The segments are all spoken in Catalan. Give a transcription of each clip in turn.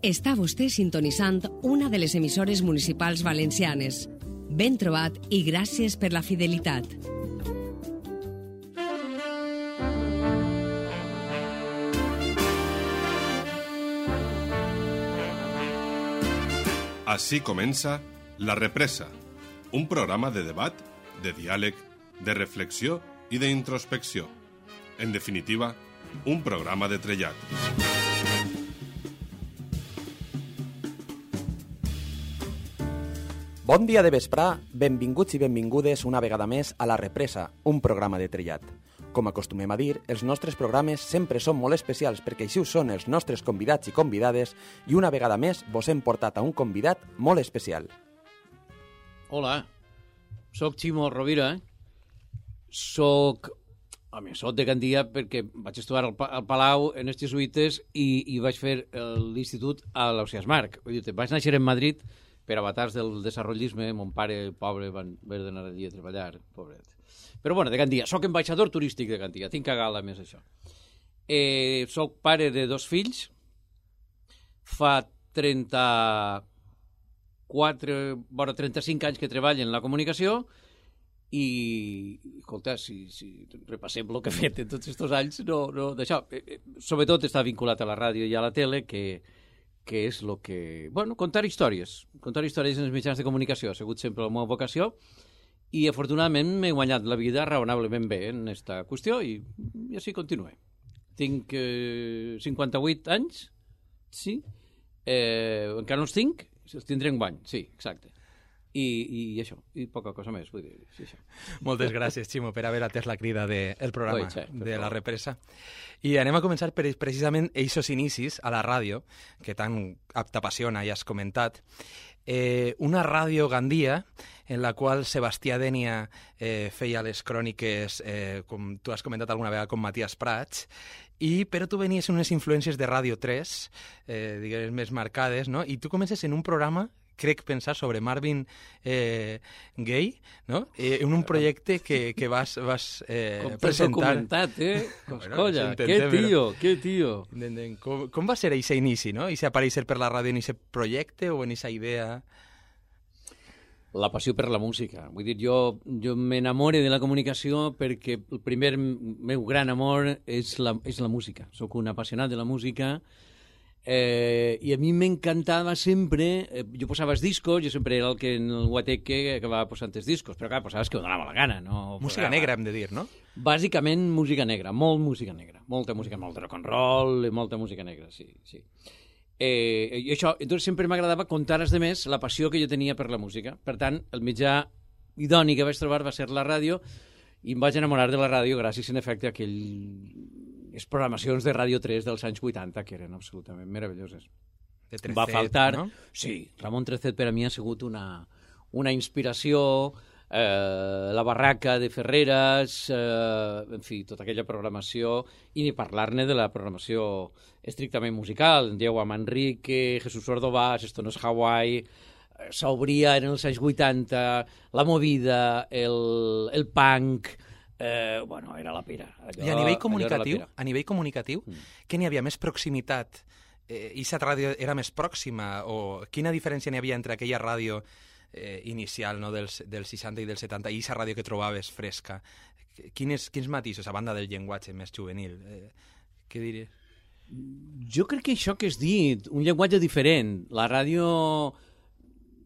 Està vostè sintonitzant una de les emissores municipals valencianes. Ben trobat i gràcies per la fidelitat. Així comença La Represa, un programa de debat, de diàleg, de reflexió i d'introspecció. En definitiva, un programa de trellat. Bon dia de vesprà, benvinguts i benvingudes una vegada més a La Represa, un programa de trellat. Com acostumem a dir, els nostres programes sempre són molt especials perquè així ho són els nostres convidats i convidades i una vegada més vos hem portat a un convidat molt especial. Hola, soc Ximo Rovira, soc de Gandia perquè vaig estudiar al Palau en els jesuïtes i vaig fer l'institut a l'Ausiàs Marc. Vaig néixer en Madrid per avatars del desarrollisme, mon pare, pobre, van haver d'anar allí a treballar, pobret. Però bueno, de Gandia, soc ambaixador turístic de Gandia, tinc a gala més això. Soc pare de 2 fills, fa 35 anys que treballo en la comunicació i, escolta, si repassem el que he fet en tots aquests anys, no d'això. Sobretot està vinculat a la ràdio i a la tele, que és el que... Bueno, contar històries en els mitjans de comunicació ha sigut sempre la meva vocació i afortunadament m'he guanyat la vida raonablement bé en aquesta qüestió i així continuo. Tinc 58 anys, sí, encara no els tinc, els tindré enguany, sí, exacte. I això, i poca cosa més, vull dir, sí, això. Moltes gràcies, Ximo, per haver atès la crida del programa de La Represa. I anem a començar per precisament eixos inicis a la ràdio, que tant t'apassiona i has comentat. Una ràdio Gandia, en la qual Sebastià Dénia feia les cròniques, com tu has comentat alguna vegada, com Matías Prats, però tu venies en unes influències de Ràdio 3, diguem, més marcades, no? I tu comences en un programa, crec pensar, sobre Marvin Gaye, no? En un projecte que vas presentar. Documentat, Colla, bueno, que tío. Com va ser aquest inici, no? I si aparèixer per la ràdio en aquest projecte o en aquesta idea? La passió per la música. Vull dir, jo m'enamoro de la comunicació perquè el primer meu gran amor és la música. Soc un apassionat de la música. I a mi m'encantava sempre, jo posava els discos, jo sempre era el que en el guateque acabava posant els discos, però clar, posaves que ho donava la gana. No música negra, hem de dir, no? Bàsicament música negra, molt música negra, molta rock and roll, molta música negra, sí. I això, doncs sempre m'agradava contar als demés la passió que jo tenia per la música. Per tant, el mitjà idoni que vaig trobar va ser la ràdio i em vaig enamorar de la ràdio gràcies, en efecte, a les programacions de Ràdio 3 dels anys 80, que eren absolutament meravelloses. De Trecet, va faltar, no? Sí, Ramon Trecet per a mi ha sigut una inspiració, la Barraca de Ferreras, en fi, tota aquella programació, i ni parlar-ne de la programació estrictament musical, Diego Manrique, Jesús Ordovás, Esto no es Hawaii, s'obria en els anys 80, la movida, el punk. Bueno, era la pera. I a nivell comunicatiu, què n'hi havia? Més proximitat? I aquesta ràdio era més pròxima? O quina diferència n'hi havia entre aquella ràdio inicial, no, dels 60 i dels 70 i aquesta ràdio que trobaves fresca? Quins matisos, a banda del llenguatge més juvenil? Què diries? Jo crec que això que has dit, un llenguatge diferent. La ràdio...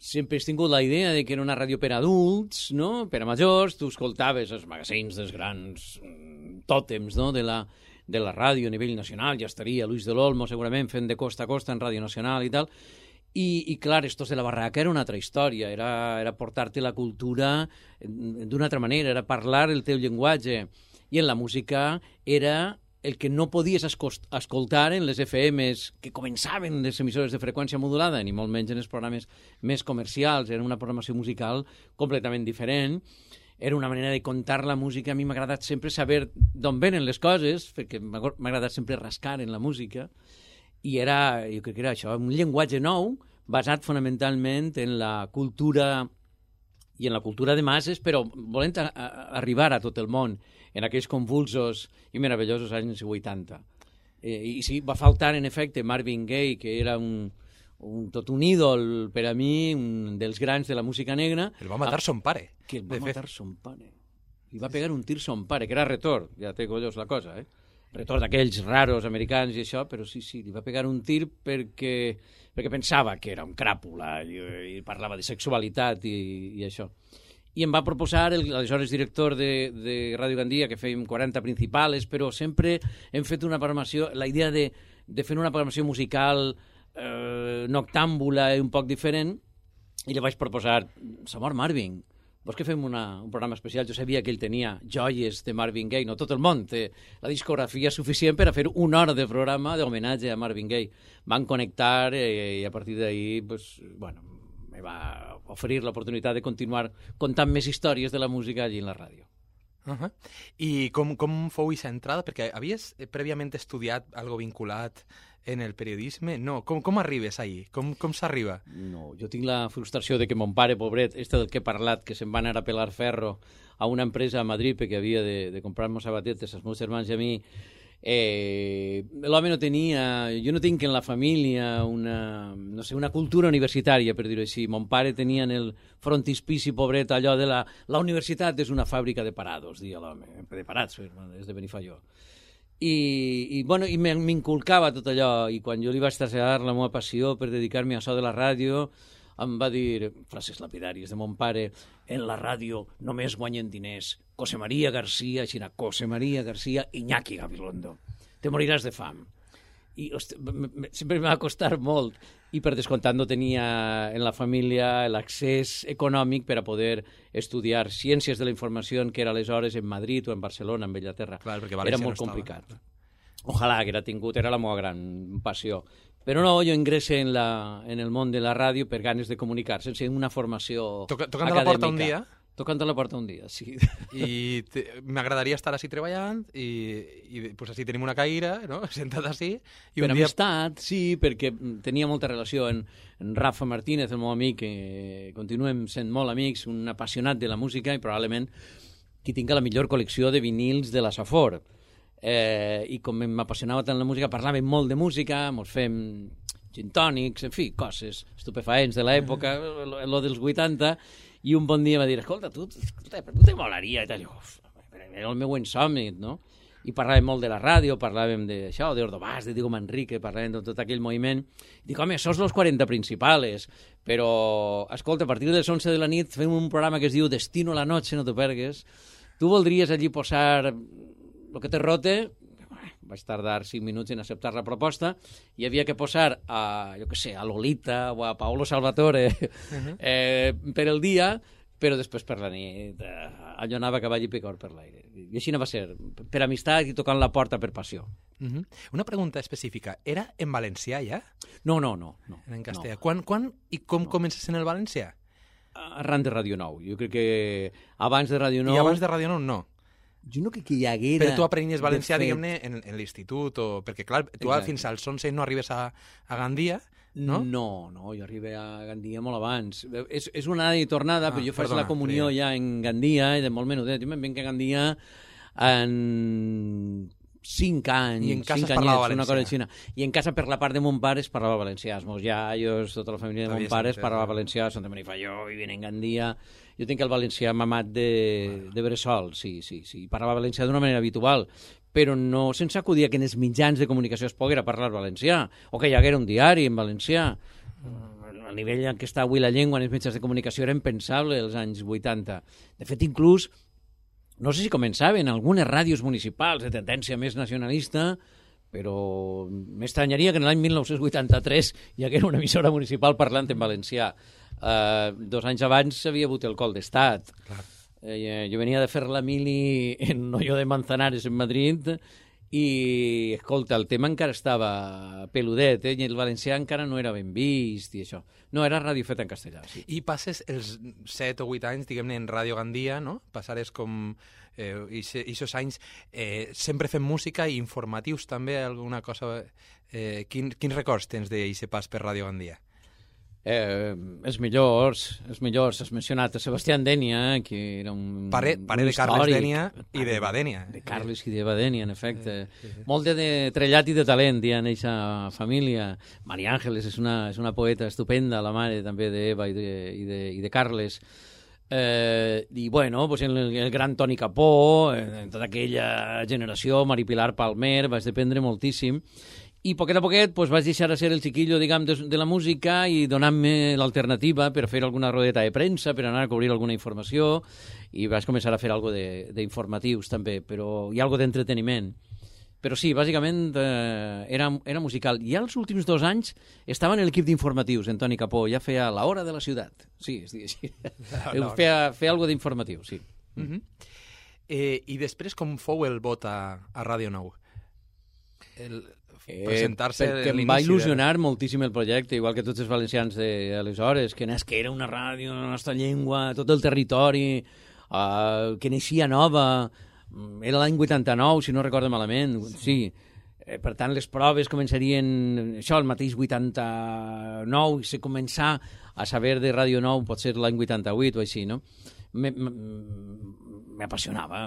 Sempre has tingut la idea de que era una ràdio per adults, no? Per a majors, tu escoltaves els magazins dels grans tòtems, no? de la ràdio a nivell nacional, ja estaria Luis del Olmo segurament fent de costa a costa en Ràdio Nacional i tal, i clar, Estos de la Barraca era una altra història, era portar-te la cultura d'una altra manera, era parlar el teu llenguatge, i en la música era el que no podies escoltar en les FMs que començaven les emissores de freqüència modulada, ni molt menys en els programes més comercials. Era una programació musical completament diferent. Era una manera de contar la música. A mi m'ha agradat sempre saber d'on venen les coses, perquè m'ha agradat sempre rascar en la música. I jo crec que era això, un llenguatge nou, basat fonamentalment en la cultura i en la cultura de masses, però volent arribar a tot el món en aquells convulsos i meravellosos anys 80. I sí, va faltar, en efecte, Marvin Gaye, que era tot un ídol per a mi, un dels grans de la música negra. El va matar son pare. Que el va matar son pare. Li va pegar un tir son pare, que era retor, ja té collons la cosa, retor d'aquells raros americans i això, però sí, li va pegar un tir perquè pensava que era un cràpula i parlava de sexualitat i això. I em va proposar, aleshores director de Ràdio Gandia, que fèiem 40 principals, però sempre hem fet una programació, la idea de fer una programació musical noctàmbula i un poc diferent, i li vaig proposar, s'ha mort Marvin, vols que fem un programa especial? Jo sabia que ell tenia joies de Marvin Gaye, no tot el món té la discografia suficient per a fer una hora de programa d'homenatge a Marvin Gaye. Van connectar i a partir d'ahir, me va oferir l'oportunitat de continuar contant més històries de la música allí en la ràdio. I com fou aquesta entrada? Perquè havies prèviament estudiat algo vinculat en el periodisme? No, com arribes ahí? Com s'arriba? No, jo tinc la frustració de que mon pare, pobret, del que he parlat, que se'n va anar a pelar ferro a una empresa a Madrid perquè havia de comprar-nos sabatetes als meus germans i a mi, l'home no tenia... Jo no tinc en la família una cultura universitària, per dir-ho així. Mon pare tenia en el frontispici, pobret, allò de la universitat és una fàbrica de parados, deia l'home, de parats, és de Benifaió. I m'inculcava tot allò, i quan jo li vaig traslladar la meva passió per dedicar-me a això de la ràdio, em va dir, frases lapidàries de mon pare, en la ràdio només guanyen diners José María García, José María García, Iñaki Gabilondo. Te moriràs de fam. I sempre m'ha costat molt, i per descomptat no tenia en la família l'accés econòmic per a poder estudiar ciències de la informació, que era aleshores en Madrid o en Barcelona, en Bellaterra. Clar, era molt complicat. Ojalà que era la meva gran passió. Però no, jo ingresse en el món de la ràdio per ganes de comunicar, sense una formació Tocant a la porta un dia? Tocant a la porta un dia, sí. I m'agradaria estar així treballant i pues així tenim una caïra, no? Sentat així. I per amistat, sí, perquè tenia molta relació en Rafa Martínez, el meu amic, que continuem sent molt amics, un apassionat de la música i probablement qui tinga la millor col·lecció de vinils de la Safor. I com m'apassionava tant la música, parlàvem molt de música, mos fem gin tònics, en fi, coses estupefaents de l'època, lo dels 80, i un bon dia va dir, escolta, tu te molaria, i tal, era el meu insomni, no? I parlàvem molt de la ràdio, parlàvem d'això, d'Ordovàs, de Diego Manrique, parlàvem de tot aquell moviment. Dic, home, sos los 40 principales, però, escolta, a partir de les 11 de la nit fem un programa que es diu Destino a la noche, no t'ho pergues. Tu voldries allí posar lo que te rote? Vaig tardar 5 minuts en acceptar la proposta i havia que posar a Lolita o a Paolo Salvatore per el dia, però després per la nit allò anava a cavall i picor per l'aire. I així no va ser, per amistat i tocant la porta per passió. Una pregunta específica. Era en valencià ja? No. En castellà. Quan i com comences en el valencià? Arran de Ràdio Nou. Jo crec que abans de Ràdio Nou... I abans de Ràdio Nou no? Jo no crec que hi haguera... Però tu aprenies valencià, diguem-ne, en l'institut, perquè, clar, tu fins als 11 no arribes a Gandia, no? No, jo arribé a Gandia molt abans. És una anada i tornada, però jo faig la comunió ja en Gandia, i de molt menudet. Jo me'n venc a Gandia en 5 anys. I en casa parlava valencià. I en casa, per la part de mon pare, es parlava valencià. Els meus iaios, tota la família de mon pare es parlava valencià, són de Benifaió, vivien en Gandia... Jo tinc el valencià mamat de bressol, sí. Parlava valencià d'una manera habitual, però no sense acudir a que en els mitjans de comunicació es poguera parlar valencià, o que hi haguera un diari en valencià. El nivell en què està avui la llengua en els mitjans de comunicació era impensable als anys 80. De fet, inclús, no sé si començaven algunes ràdios municipals de tendència més nacionalista, però m'estranyaria que en l'any 1983 hi haguera una emissora municipal parlant en valencià. 2 anys abans havia hagut el col d'estat. Jo venia de fer la mili en Noyo de Manzanares, en Madrid, i, escolta, el tema encara estava peludet, i el valencià encara no era ben vist, i això. No, era ràdio feta en castellà, sí. I passes els 7 o 8 anys, diguem-ne, en Ràdio Gandia, no? Passares com... Ixos anys sempre fent música i informatius també, alguna cosa... Quins records tens d'aquest pas per Ràdio Gandia? Els millors, has mencionat a Sebastián Denia, que era un pare de Carles Denia i de Badènia. De Carles i de Badènia, en efecte. Molt de trellat i de talent hi ha en aquesta família. Maria Àngeles és una poeta estupenda, la mare també d'Eva i de Carles. I bueno, pues el gran Toni Capó, en tota aquella generació, Mari Pilar Palmer, vaig dependre moltíssim. I poquet a poquet pues, vaig deixar de ser el xiquillo de la música i donant-me l'alternativa per fer alguna rodeta de premsa, per anar a cobrir alguna informació, i vaig començar a fer alguna d'informatius també, però hi ha alguna d'entreteniment. Però sí, bàsicament era musical. I els últims 2 anys estava en l'equip d'informatius, en Toni Capó, ja feia La Hora de la Ciutat. Sí, es diu així. Feia alguna d'informatiu, sí. I després com fou el vot a Ràdio Nou? Presentar-se perquè em va il·lusionar moltíssim el projecte, igual que tots els valencians d'aleshores, que era una ràdio en la nostra llengua, tot el territori, que naixia nova, era l'any 89, si no recordo malament, sí. Per tant, les proves començarien, això, el mateix 89, i se començar a saber de Ràdio Nou, pot ser l'any 88 o així, no? M'apassionava,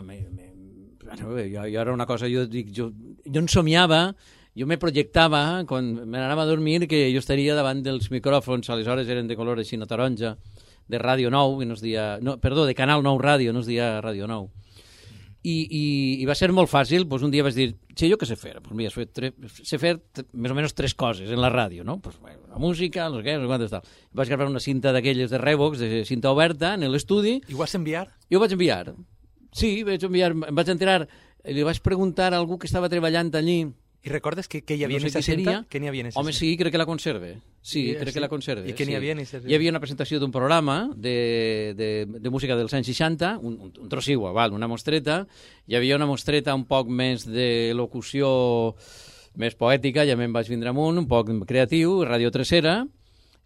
jo era una cosa, jo en somiava. Jo me projectava, quan me n'anava a dormir, que jo estaria davant dels micròfons, aleshores eren de color així, no taronja, de Ràdio Nou, que no es dia... No, perdó, de Canal 9 Ràdio, no es dia Ràdio Nou. I va ser molt fàcil, doncs un dia vaig dir, jo què sé fer? Pues mira, sé fer més o menys 3 coses en la ràdio, no? Pues, la música, no sé què, no sé quantes tal. Vaig gravar una cinta d'aquelles de Revox, de cinta oberta, en l'estudi. I ho vas enviar? Jo ho vaig enviar. Sí, em vaig enterar, li vaig preguntar a algú que estava treballant allí. I recordes que hi havia en aquesta cinta? Què n'hi havia en aquesta cinta? Home, sí, crec que la conserve. Sí, crec que la conserve. I què n'hi havia en aquesta cinta? Hi havia una presentació d'un programa de música dels anys 60, un trossigua, una mostreta. Hi havia una mostreta un poc més de locució més poètica, ja me'n vaig vindre amunt, un poc creatiu, Radio Tresera,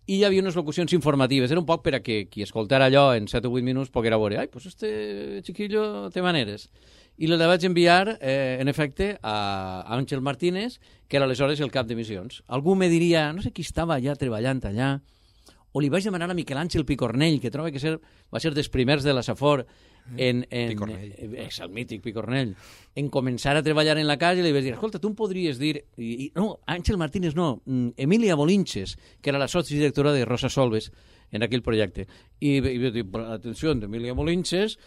i hi havia unes locucions informatives. Era un poc per a que qui escoltara allò en 7 o 8 minuts poguera veure, ai, pues este chiquillo té maneres. I la vaig enviar, en efecte, a Àngel Martínez, que era aleshores el cap d'emissions. Algú me diria, no sé qui estava ja treballant allà, o li vaig demanar a Miquel Àngel Picornell, que trobo que va ser dels primers de la Safor, el mític Picornell, en començar a treballar en la casa, i li vaig dir, escolta, tu em podries dir... No, Àngel Martínez no, Emília Bolinches, que era la sotsdirectora de Rosa Solves, en aquell projecte. I vaig dir, atenció, d'Emília Bolinches,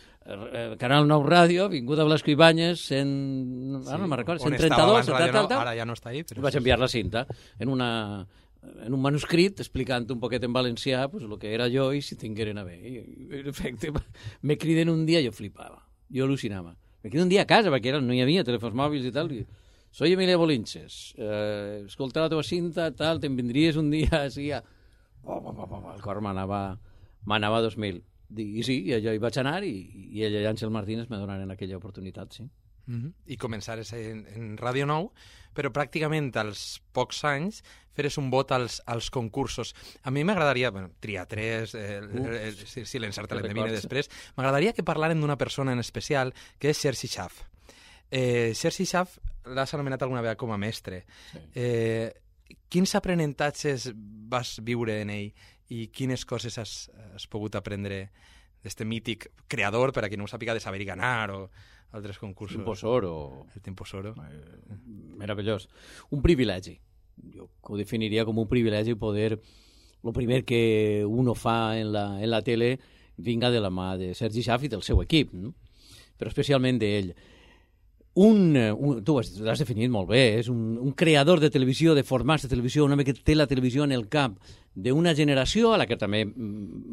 Canal 9 Ràdio, vinguda a Blasco Ibáñez, no me'n recordo, 132, tal. Ara ja no està ahí. Vaig enviar la cinta en un manuscrit explicant un poquet en valencià pues, el que era jo i si tingueren a bé. I, en efecte, me criden un dia, jo flipava, jo al·lucinava. Me criden un dia a casa, perquè no hi havia telèfons mòbils i tal, i soy Emília Bolinches, escolta la teva cinta, tal, te'n vindries un dia així a... El cor m'anava a 2000. I sí, jo hi vaig anar i ella i Àngel Martínez me donaren aquella oportunitat, sí. I començares en Ràdio Nou, però pràcticament als pocs anys feres un vot als concursos. A mi m'agradaria, triar 3, si l'encert l'endevine després, m'agradaria que parlàrem d'una persona en especial, que és Sergi Schaff. Sergi Schaff l'has anomenat alguna vegada com a mestre. Sí. Quins aprenentatges vas viure en ell i quines coses has pogut aprendre d'este mític creador, per a qui no ho sàpiga, de Saber i Ganar o altres concursos? El Temposoro. Meravellós. Un privilegi. Jo ho definiria com un privilegi poder... El primer que uno fa en la tele vinga de la mà de Sergi Schaff i del seu equip, no? Però especialment d'ell. Tu ho has definit molt bé, és un creador de televisió, de formats de televisió, un home que té la televisió en el cap d'una generació a la que també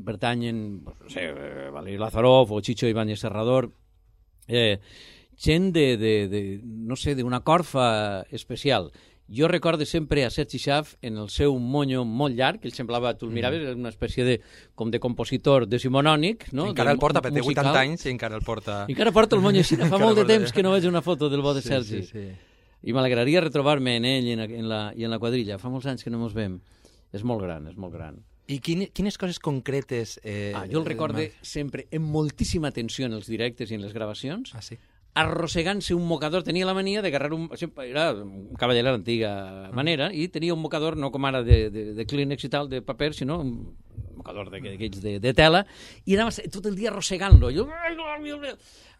pertanyen, no sé, Valery Lazarov o Chicho Ibáñez Serrador, gent no sé, d'una corfa especial. Jo recordo sempre a Sergi Schaff en el seu monyo molt llarg, que ell semblava, tu el miraves, una espècie com de compositor decimonònic, no? Encara el porta, perquè té 80 anys i encara el porta... Encara porta el monyo així, fa molt de temps que no veig una foto del bo de Sergi. Sí. I m'alegraria retrobar-me en ell i en la quadrilla. Fa molts anys que no ens veiem. És molt gran, és molt gran. I quines coses concretes... Jo el recorde sempre amb moltíssima atenció en els directes i en les gravacions. Ah, sí? arrossegant-se un mocador, tenia la mania d'agarrar era un cavaller a l'antiga manera, i tenia un mocador, no com ara de Kleenex i tal, de paper, sinó un mocador d'aquells de tela, i anava tot el dia arrossegant-lo.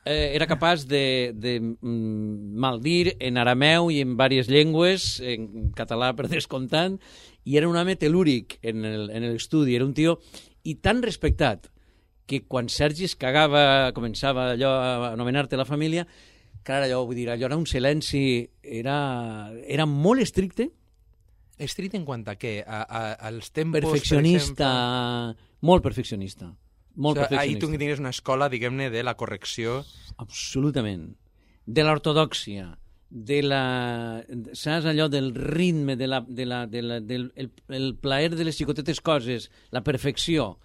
Era capaç de maldir en arameu i en diverses llengües, en català per descomptant, i era un home telúric en l'estudi, era un tio i tan respectat que quan Sergi es cagava, començava allò a anomenar-te la família, clar, allò era un silenci, era molt estricte. Estricte en quant a què? Als tempos, perfeccionista, molt perfeccionista. Ahir tu tenies una escola, diguem-ne, de la correcció. Absolutament. De l'ortodòxia, saps allò del ritme, del plaer de les xicotetes coses, la perfecció.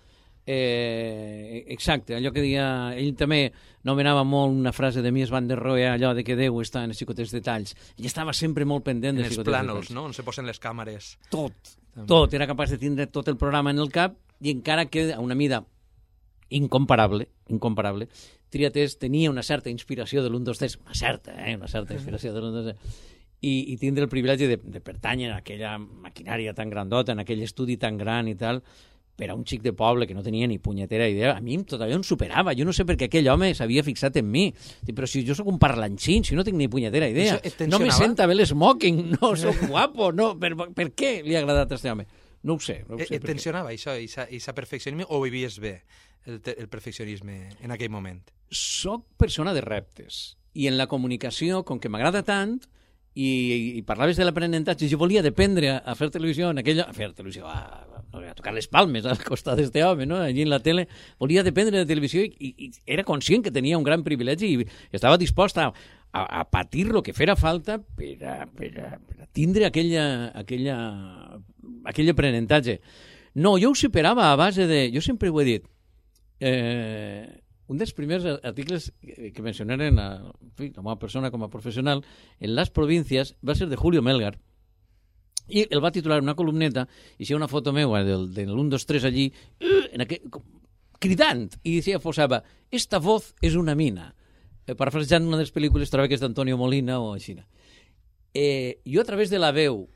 Exacte, allò que deia, ell també nomenava molt una frase de Mies van der Rohe, allò de que Déu està en els xicotes detalls. Ell estava sempre molt pendent dels xicotes detalls. En els plànols, no?, on se posen les càmeres. Tot. Era capaç de tindre tot el programa en el cap, i encara que a una mida incomparable, Triatés tenia una certa inspiració de l'1-2-3, una certa inspiració de l'1-2-3, i tindre el privilegi de pertànyer a aquella maquinària tan grandota, en aquell estudi tan gran i tal, per a un xic de poble que no tenia ni punyetera idea, a mi tot allò em superava. Jo no sé per què aquell home s'havia fixat en mi. Però si jo sóc un parlanxín, si no tinc ni punyetera idea. No me senta bé l'esmoking, no soc guapo, no. Per què li ha agradat a aquest home? No ho sé. Et tensionava això, aquest perfeccionisme, o vivies bé el perfeccionisme en aquell moment? Soc persona de reptes. I en la comunicació, com que m'agrada tant, i parlaves de l'aprenentatge, jo volia dependre a fer televisió, a tocar les palmes al costat d'este home, no? Allí en la tele, volia dependre de televisió i era conscient que tenia un gran privilegi i estava dispost a patir lo que fera falta per a tindre aquell aprenentatge. No, jo ho superava a base de... Jo sempre ho he dit. Un dels primers articles que mencionaren la meva persona com a professional en Las Provincias va ser de Julio Melgar, i el va titular una columneta, i hi ha una foto meva del 1-2-3 allí, cridant, i posava, esta voz és una mina. Parafrasejant una de les pel·lícules, trobo que és d'Antonio Molina o així. Jo a través de la veu,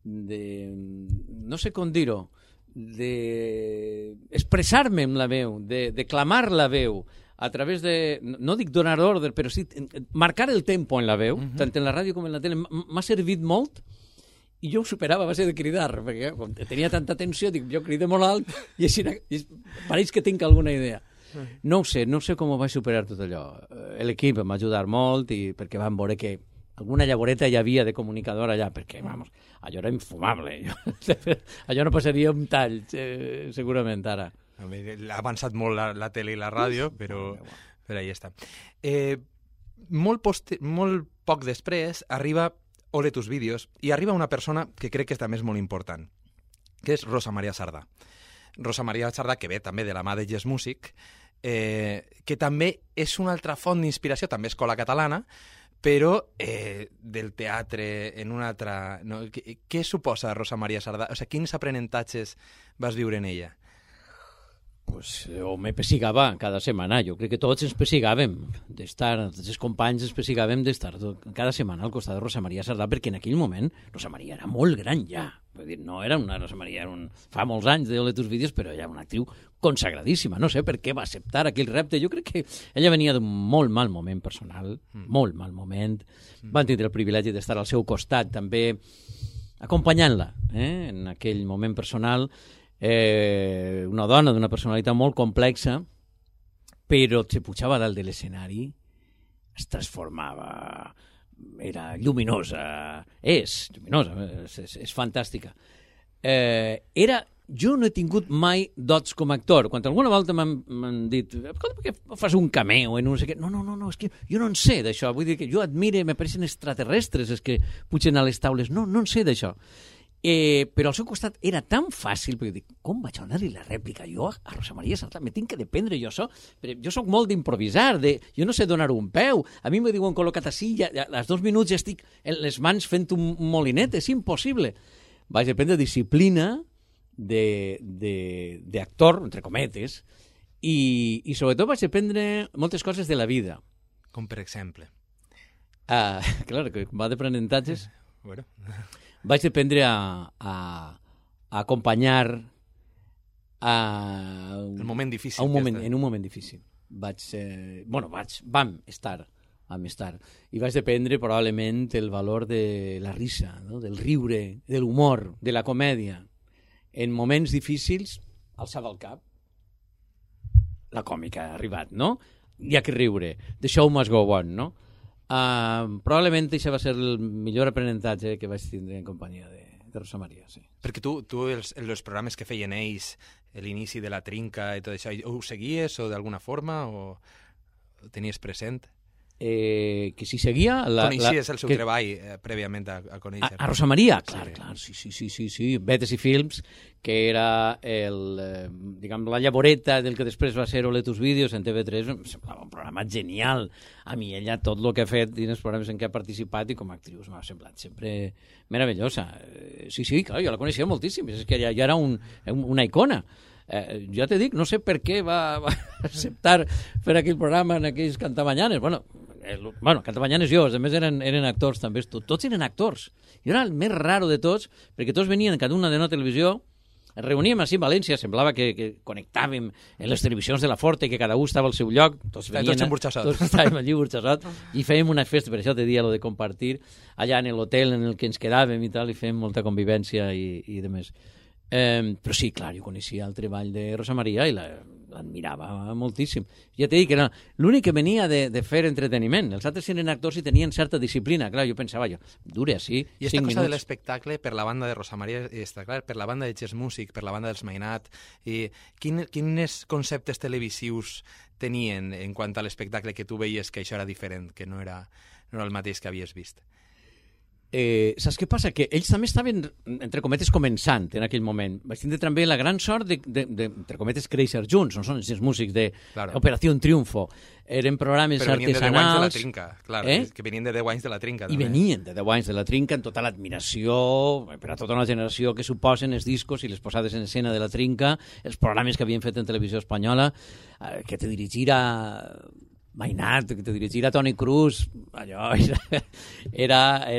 no sé com dir-ho, d'expressar-me amb la veu, de clamar la veu, a través de, no dic donar ordre, però sí marcar el tempo en la veu, tant en la ràdio com en la tele, m'ha servit molt, i jo ho superava a base de cridar, perquè com tenia tanta tensió, dic, jo crido molt alt, i així pareix que tinc alguna idea. No ho sé com ho vaig superar tot allò. L'equip em va ajudar molt, i perquè van veure que alguna llavoreta hi havia de comunicador allà, perquè, vamos, allò era infumable. Allò no passaria un tall, segurament, ara. Ha avançat molt la tele i la ràdio, però ahí està. Molt poc després arriba Ole tus vídeos, i arriba una persona que crec que també és molt important, que és Rosa Maria Sardà. Rosa Maria Sardà, que ve també de la mà de Yes Music, que també és una altra font d'inspiració, també escola catalana, però del teatre en una altra... No? Què suposa Rosa Maria Sardà? O sigui, quins aprenentatges vas viure en ella? Pues, o me pessigava cada setmana. Jo crec que tots ens pessigàvem d'estar, els companys ens pessigàvem d'estar cada setmana al costat de Rosa Maria Sardà, perquè en aquell moment Rosa Maria era molt gran ja. Vull dir, no era una Rosa Maria, fa molts anys de tus vídeos, però era una actriu consagradíssima. No sé per què va acceptar aquell repte. Jo crec que ella venia d'un molt mal moment personal, molt mal moment. Van tindre el privilegi d'estar al seu costat, també acompanyant-la en aquell moment personal. Una dona d'una personalitat molt complexa, però se pujava dalt de l'escenari, es transformava, era lluminosa, és fantàstica. Jo no he tingut mai dots com a actor. Quan alguna volta m'han dit, per què fas un cameo en un no sé què? No, és que jo no en sé d'això. Vull dir que jo admire, m'apareixen extraterrestres els que pugen a les taules. No en sé d'això. Però al seu costat era tan fàcil, perquè dic, com vaig donar-li la rèplica jo a Rosa Maria Sardà? Me tinc que dependre jo això. Jo soc molt d'improvisar, jo no sé donar un peu. A mi me diuen col·locat així, als 2 minuts ja estic en les mans fent un molinet, és impossible. Vaig aprendre disciplina d'actor, entre cometes, I sobretot vaig aprendre moltes coses de la vida. Com per exemple? Clar, que va d'aprenentatges. Bueno. Vaig aprendre a acompanyar el moment difícil. En un moment difícil. Vam estar. I vaig aprendre probablement el valor de la risa, no? Del riure, de l'humor, de la comèdia. En moments difícils, alçava el cap. La còmica ha arribat, no? Hi ha que riure. The show must go on, no? Probablement això va ser el millor aprenentatge que vaig tindre en companyia de Rosa Maria, sí. Perquè tu els programes que feien ells, l'inici de la trinca i tot això, ho seguies o d'alguna forma o ho tenies present? Que si seguia... Coneixies el seu treball prèviament a conèixer? A Rosa Maria? Clar, sí. Vetes i Films, que era la llavoreta del que després va ser Oletus Vídeos en TV3, em semblava un programa genial. A mi ella tot el que ha fet dins els programes en què ha participat i com a actrius m'ha semblat sempre meravellosa. Sí, clar, jo la coneixia moltíssim, és que ja era una icona. Ja te dic, no sé per què va acceptar fer aquell programa en aquells Cantamanyanes. Bueno, Cantamanyanes jo, a més eren actors també, tots eren actors. Jo era el més raro de tots, perquè tots venien cada una de una televisió, ens reuníem així a València, semblava que connectàvem en les televisions de la Forte, que cada un estava al seu lloc, tots estàvem allí burxassot, i fèiem una festa, per això te dia lo de compartir, allà en l'hotel en el que ens quedàvem i tal, i fèiem molta convivència i de més. Però sí, clar, jo coneixia el treball de Rosa Maria i l'admirava moltíssim. Ja t'he dit que era l'únic que venia de fer entreteniment. Els altres eren actors i tenien certa disciplina. Clar, jo pensava, dure així 5 minuts. I aquesta cosa de l'espectacle per la banda de Rosa Maria, clar, per la banda de Jazz Music, per la banda dels Mainat, quins conceptes televisius tenien en quant a l'espectacle que tu veies que això era diferent, que no era el mateix que havies vist? Saps què passa? Que ells també estaven, entre cometes, començant en aquell moment. Vaig tindre també la gran sort de entre cometes, créixer junts. No són els músics d'Operació Triunfo. Eren programes artesanals. Però venien de 10 anys de la trinca, clar. Que venien de 10 anys de la trinca. I venien de 10 anys de la trinca amb tota l'admiració per a tota una generació que suposen els discos i les posades en escena de la trinca, els programes que havien fet en televisió espanyola, que te dirigira Mainat, que te dirigira Toni Cruz, allò era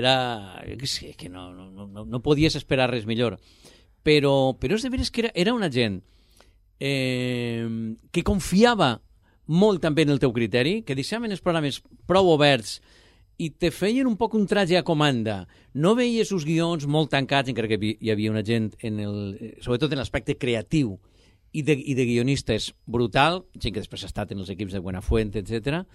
que no podies esperar res millor. Però és de veres que era una gent que confiava molt també en el teu criteri, que deixaven els programes prou oberts i te feien un poc un traje a comanda. No veies els guions molt tancats, encara que hi havia una gent, sobretot en l'aspecte creatiu, i de guionistes brutal, gent que després ha estat en els equips de Buenafuente, etc.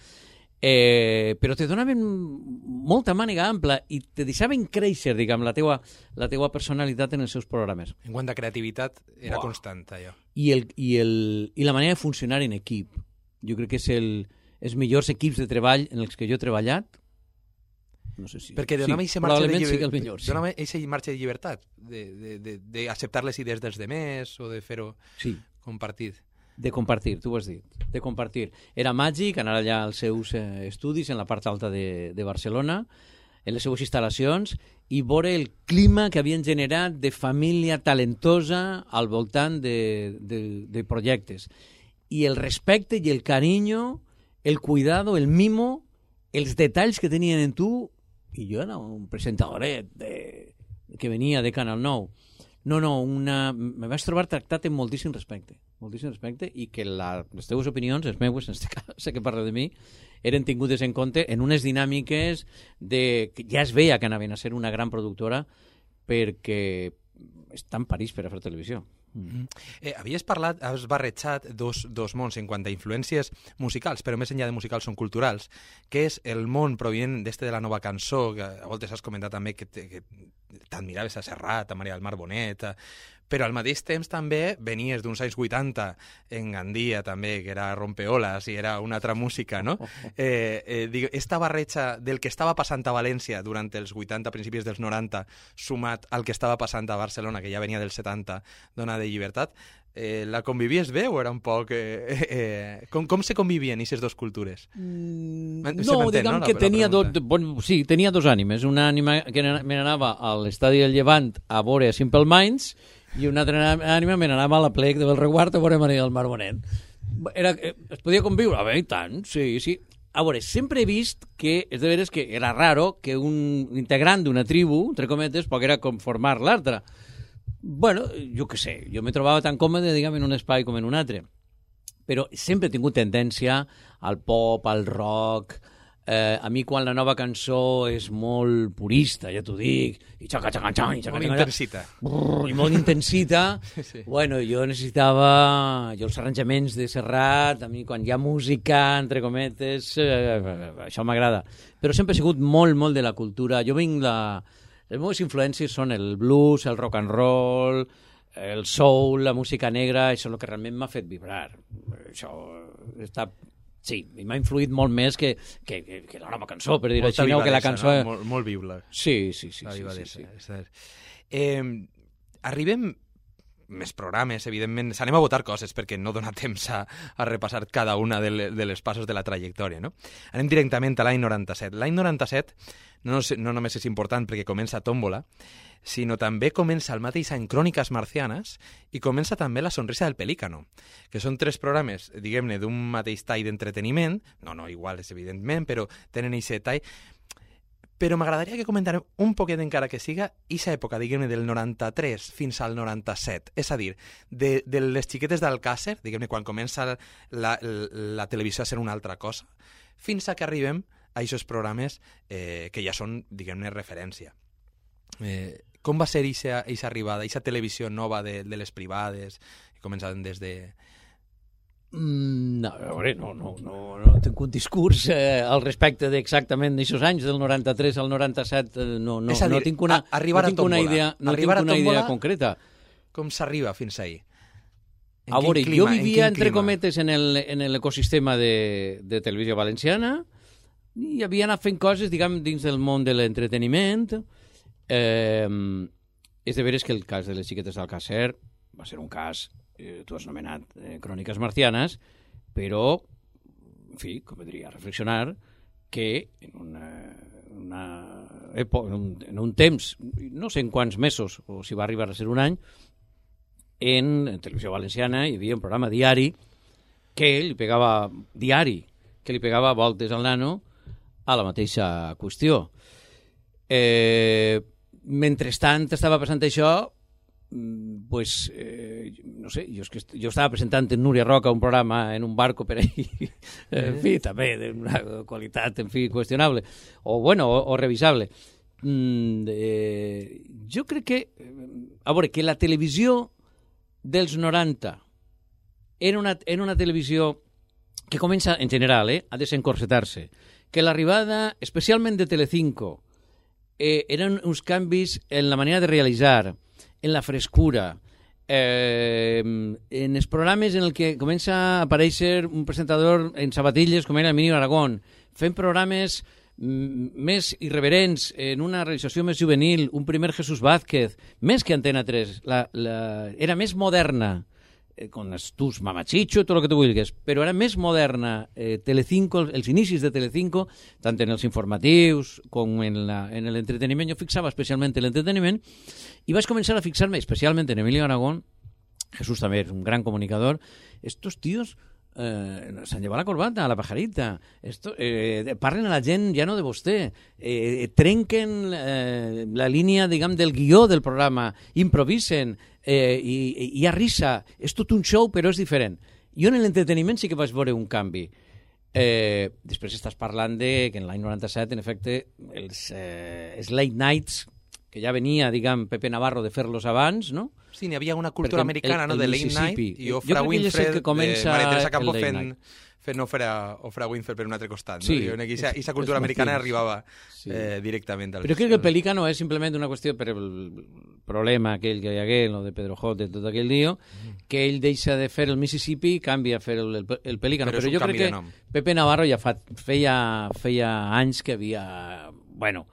Però te donaven molta màniga ampla i te deixaven créixer, diguem, la teua personalitat en els seus programes. En quant a creativitat, era constant, allò. I la manera de funcionar en equip. Jo crec que és els millors equips de treball en els que jo he treballat. No sé si... Perquè donava eixa marxa de llibertat, d'acceptar les idees dels demés o de fer-ho compartit. De compartir, tu ho has dit, de compartir. Era màgic anar allà als seus estudis en la part alta de Barcelona, en les seues instal·lacions, i veure el clima que havien generat de família talentosa al voltant de projectes. I el respecte i el carinyo, el cuidado, el mimo, els detalls que tenien en tu. I jo era un presentadoret que venia de Canal 9. Me vaig trobar tractat amb moltíssim respecte, i que les teves opinions, les meues, en aquest cas, sé que parla de mi, eren tingudes en compte en unes dinàmiques que ja es veia que anaven a ser una gran productora perquè està en París per a fer televisió. Havies barrejat dos mons en quant a influències musicals, però més enllà de musicals són culturals, que és el món provinent d'este de la nova cançó, que a voltes has comentat també que t'admiraves a Serrat, a Maria del Mar Bonet, però al mateix temps també venies d'uns anys 80 en Gandia també, que era rompeolas i era una altra música, no? Esta barreja del que estava passant a València durant els 80, principis dels 90, sumat al que estava passant a Barcelona, que ja venia dels 70, dona de llibertat, la convivies bé o era un poc... Com se convivien aquestes dues cultures? No, diguem que tenia dos ànimes. Una ànima que me n'anava a l'estadi del Llevant a veure Simple Minds i una altra ànima me n'anava a la plec de Belreguard a veure Maria del Mar Bonet. Es podia conviure? A veure, i tant, sí. A veure, sempre he vist que, és de veres que era raro que un integrant d'una tribu, entre cometes, poguera conformar l'altra. Bueno, jo què sé, jo me trobava tan còmode, diguem, en un espai com en un altre. Però sempre he tingut tendència al pop, al rock. A mi, quan la nova cançó és molt purista, ja t'ho dic, i molt intensita. I molt intensita, sí. Bueno, jo necessitava... Jo els arranjaments de Serrat, a mi quan hi ha música, entre cometes, això m'agrada. Però sempre he sigut molt, molt de la cultura. Jo vinc les meves influències són el blues, el rock and roll, el soul, la música negra, això és el que realment m'ha fet vibrar. Això està... Sí, m'ha influït molt més que la nova cançó, per dir-ho així, que la cançó... No? Molt bibla. Sí. Arribem més programes, evidentment. S'anem a votar coses perquè no dona temps a repassar cada una de les passos de la trajectòria, no? Anem directament a l'any 97. L'any 97 no només és important perquè comença Tómbola, sinó també comença el mateix any Cròniques Marcianes i comença també La sonrisa del pelícano, que són 3 programes, diguem-ne, d'un mateix tall d'entreteniment, no iguals, evidentment, però tenen aquest tall. Però m'agradaria que comentarem un poquet, encara que siga, aquesta època, diguem-ne, del 93 fins al 97. És a dir, de les xiquetes d'Alcàsser, diguem-ne, quan comença la televisió a ser una altra cosa, fins a que arribem a aquests programes que ja són, diguem-ne, referència. Com va ser aquesta arribada, aquesta televisió nova de les privades, que començaven des de... No, a veure, no tinc un discurs al respecte d'exactament d'aixòs anys, del 93 al 97, no tinc una idea concreta. Com s'arriba fins ahir? A veure, jo vivia, entre cometes, en l'ecosistema de Televisió Valenciana, i havia anat fent coses, diguem, dins del món de l'entreteniment. És de veres que el cas de les xiquetes d'Alcàsser va ser un cas, tu has anomenat Cròniques Marcianes, però, en fi, convindria reflexionar que en un temps, no sé en quants mesos, o si va arribar a ser un any, en Televisió Valenciana hi havia un programa diari que li pegava voltes al nano a la mateixa qüestió. Mentrestant estava passant això, pues, no sé, jo estava presentant en Núria Roca un programa en un barco per ahí, en fi, també d'una qualitat, en fi, qüestionable, o revisable. Jo crec que, a veure, que la televisió dels 90 era una televisió que comença, en general, a desencorsetar-se, que l'arribada, especialment de Telecinco, eren uns canvis en la manera de realitzar, en la frescura, en els programes en el que comença a aparèixer un presentador en sabatilles com era Emilio Aragón, fent programes més irreverents, en una realització més juvenil, un primer Jesús Vázquez, més que Antena 3, era més moderna, con tus mamachicho, tot el que tu vulguis, però era més moderna Telecinco, els inicis de Telecinco, tant en els informatius com en l'entreteniment. Jo fixava especialment en l'entreteniment i vaig començar a fixar-me especialment en Emilio Aragón. Jesús també és un gran comunicador. Estos tíos s'han llevat la corbata, la pajarita, parlen a la gent ja no de vostè, trenquen la línia, diguem, del guió del programa, improvisen, hi ha risa, és tot un show però és diferent. Jo en l'entreteniment sí que vaig veure un canvi. Després estàs parlant de que en l'any 97 en efecte els late nights, que ja venia, diguem, Pepe Navarro de fer-los abans, no? Sí, n'hi havia una cultura americana, no?, de late night, i Ofra Winfred, Maria Campo fent Ofra Winfred per un altre costat. Sí, no? Aquesta cultura americana arribava directament. Però crec que el Pelícano és simplement una qüestió per el problema aquell que hi hagué, el de Pedro J, tot aquell lío, que ell deixa de fer el Mississippi i canvia a fer el Pelícano. Però jo crec que Pepe Navarro ja feia anys que havia, bueno,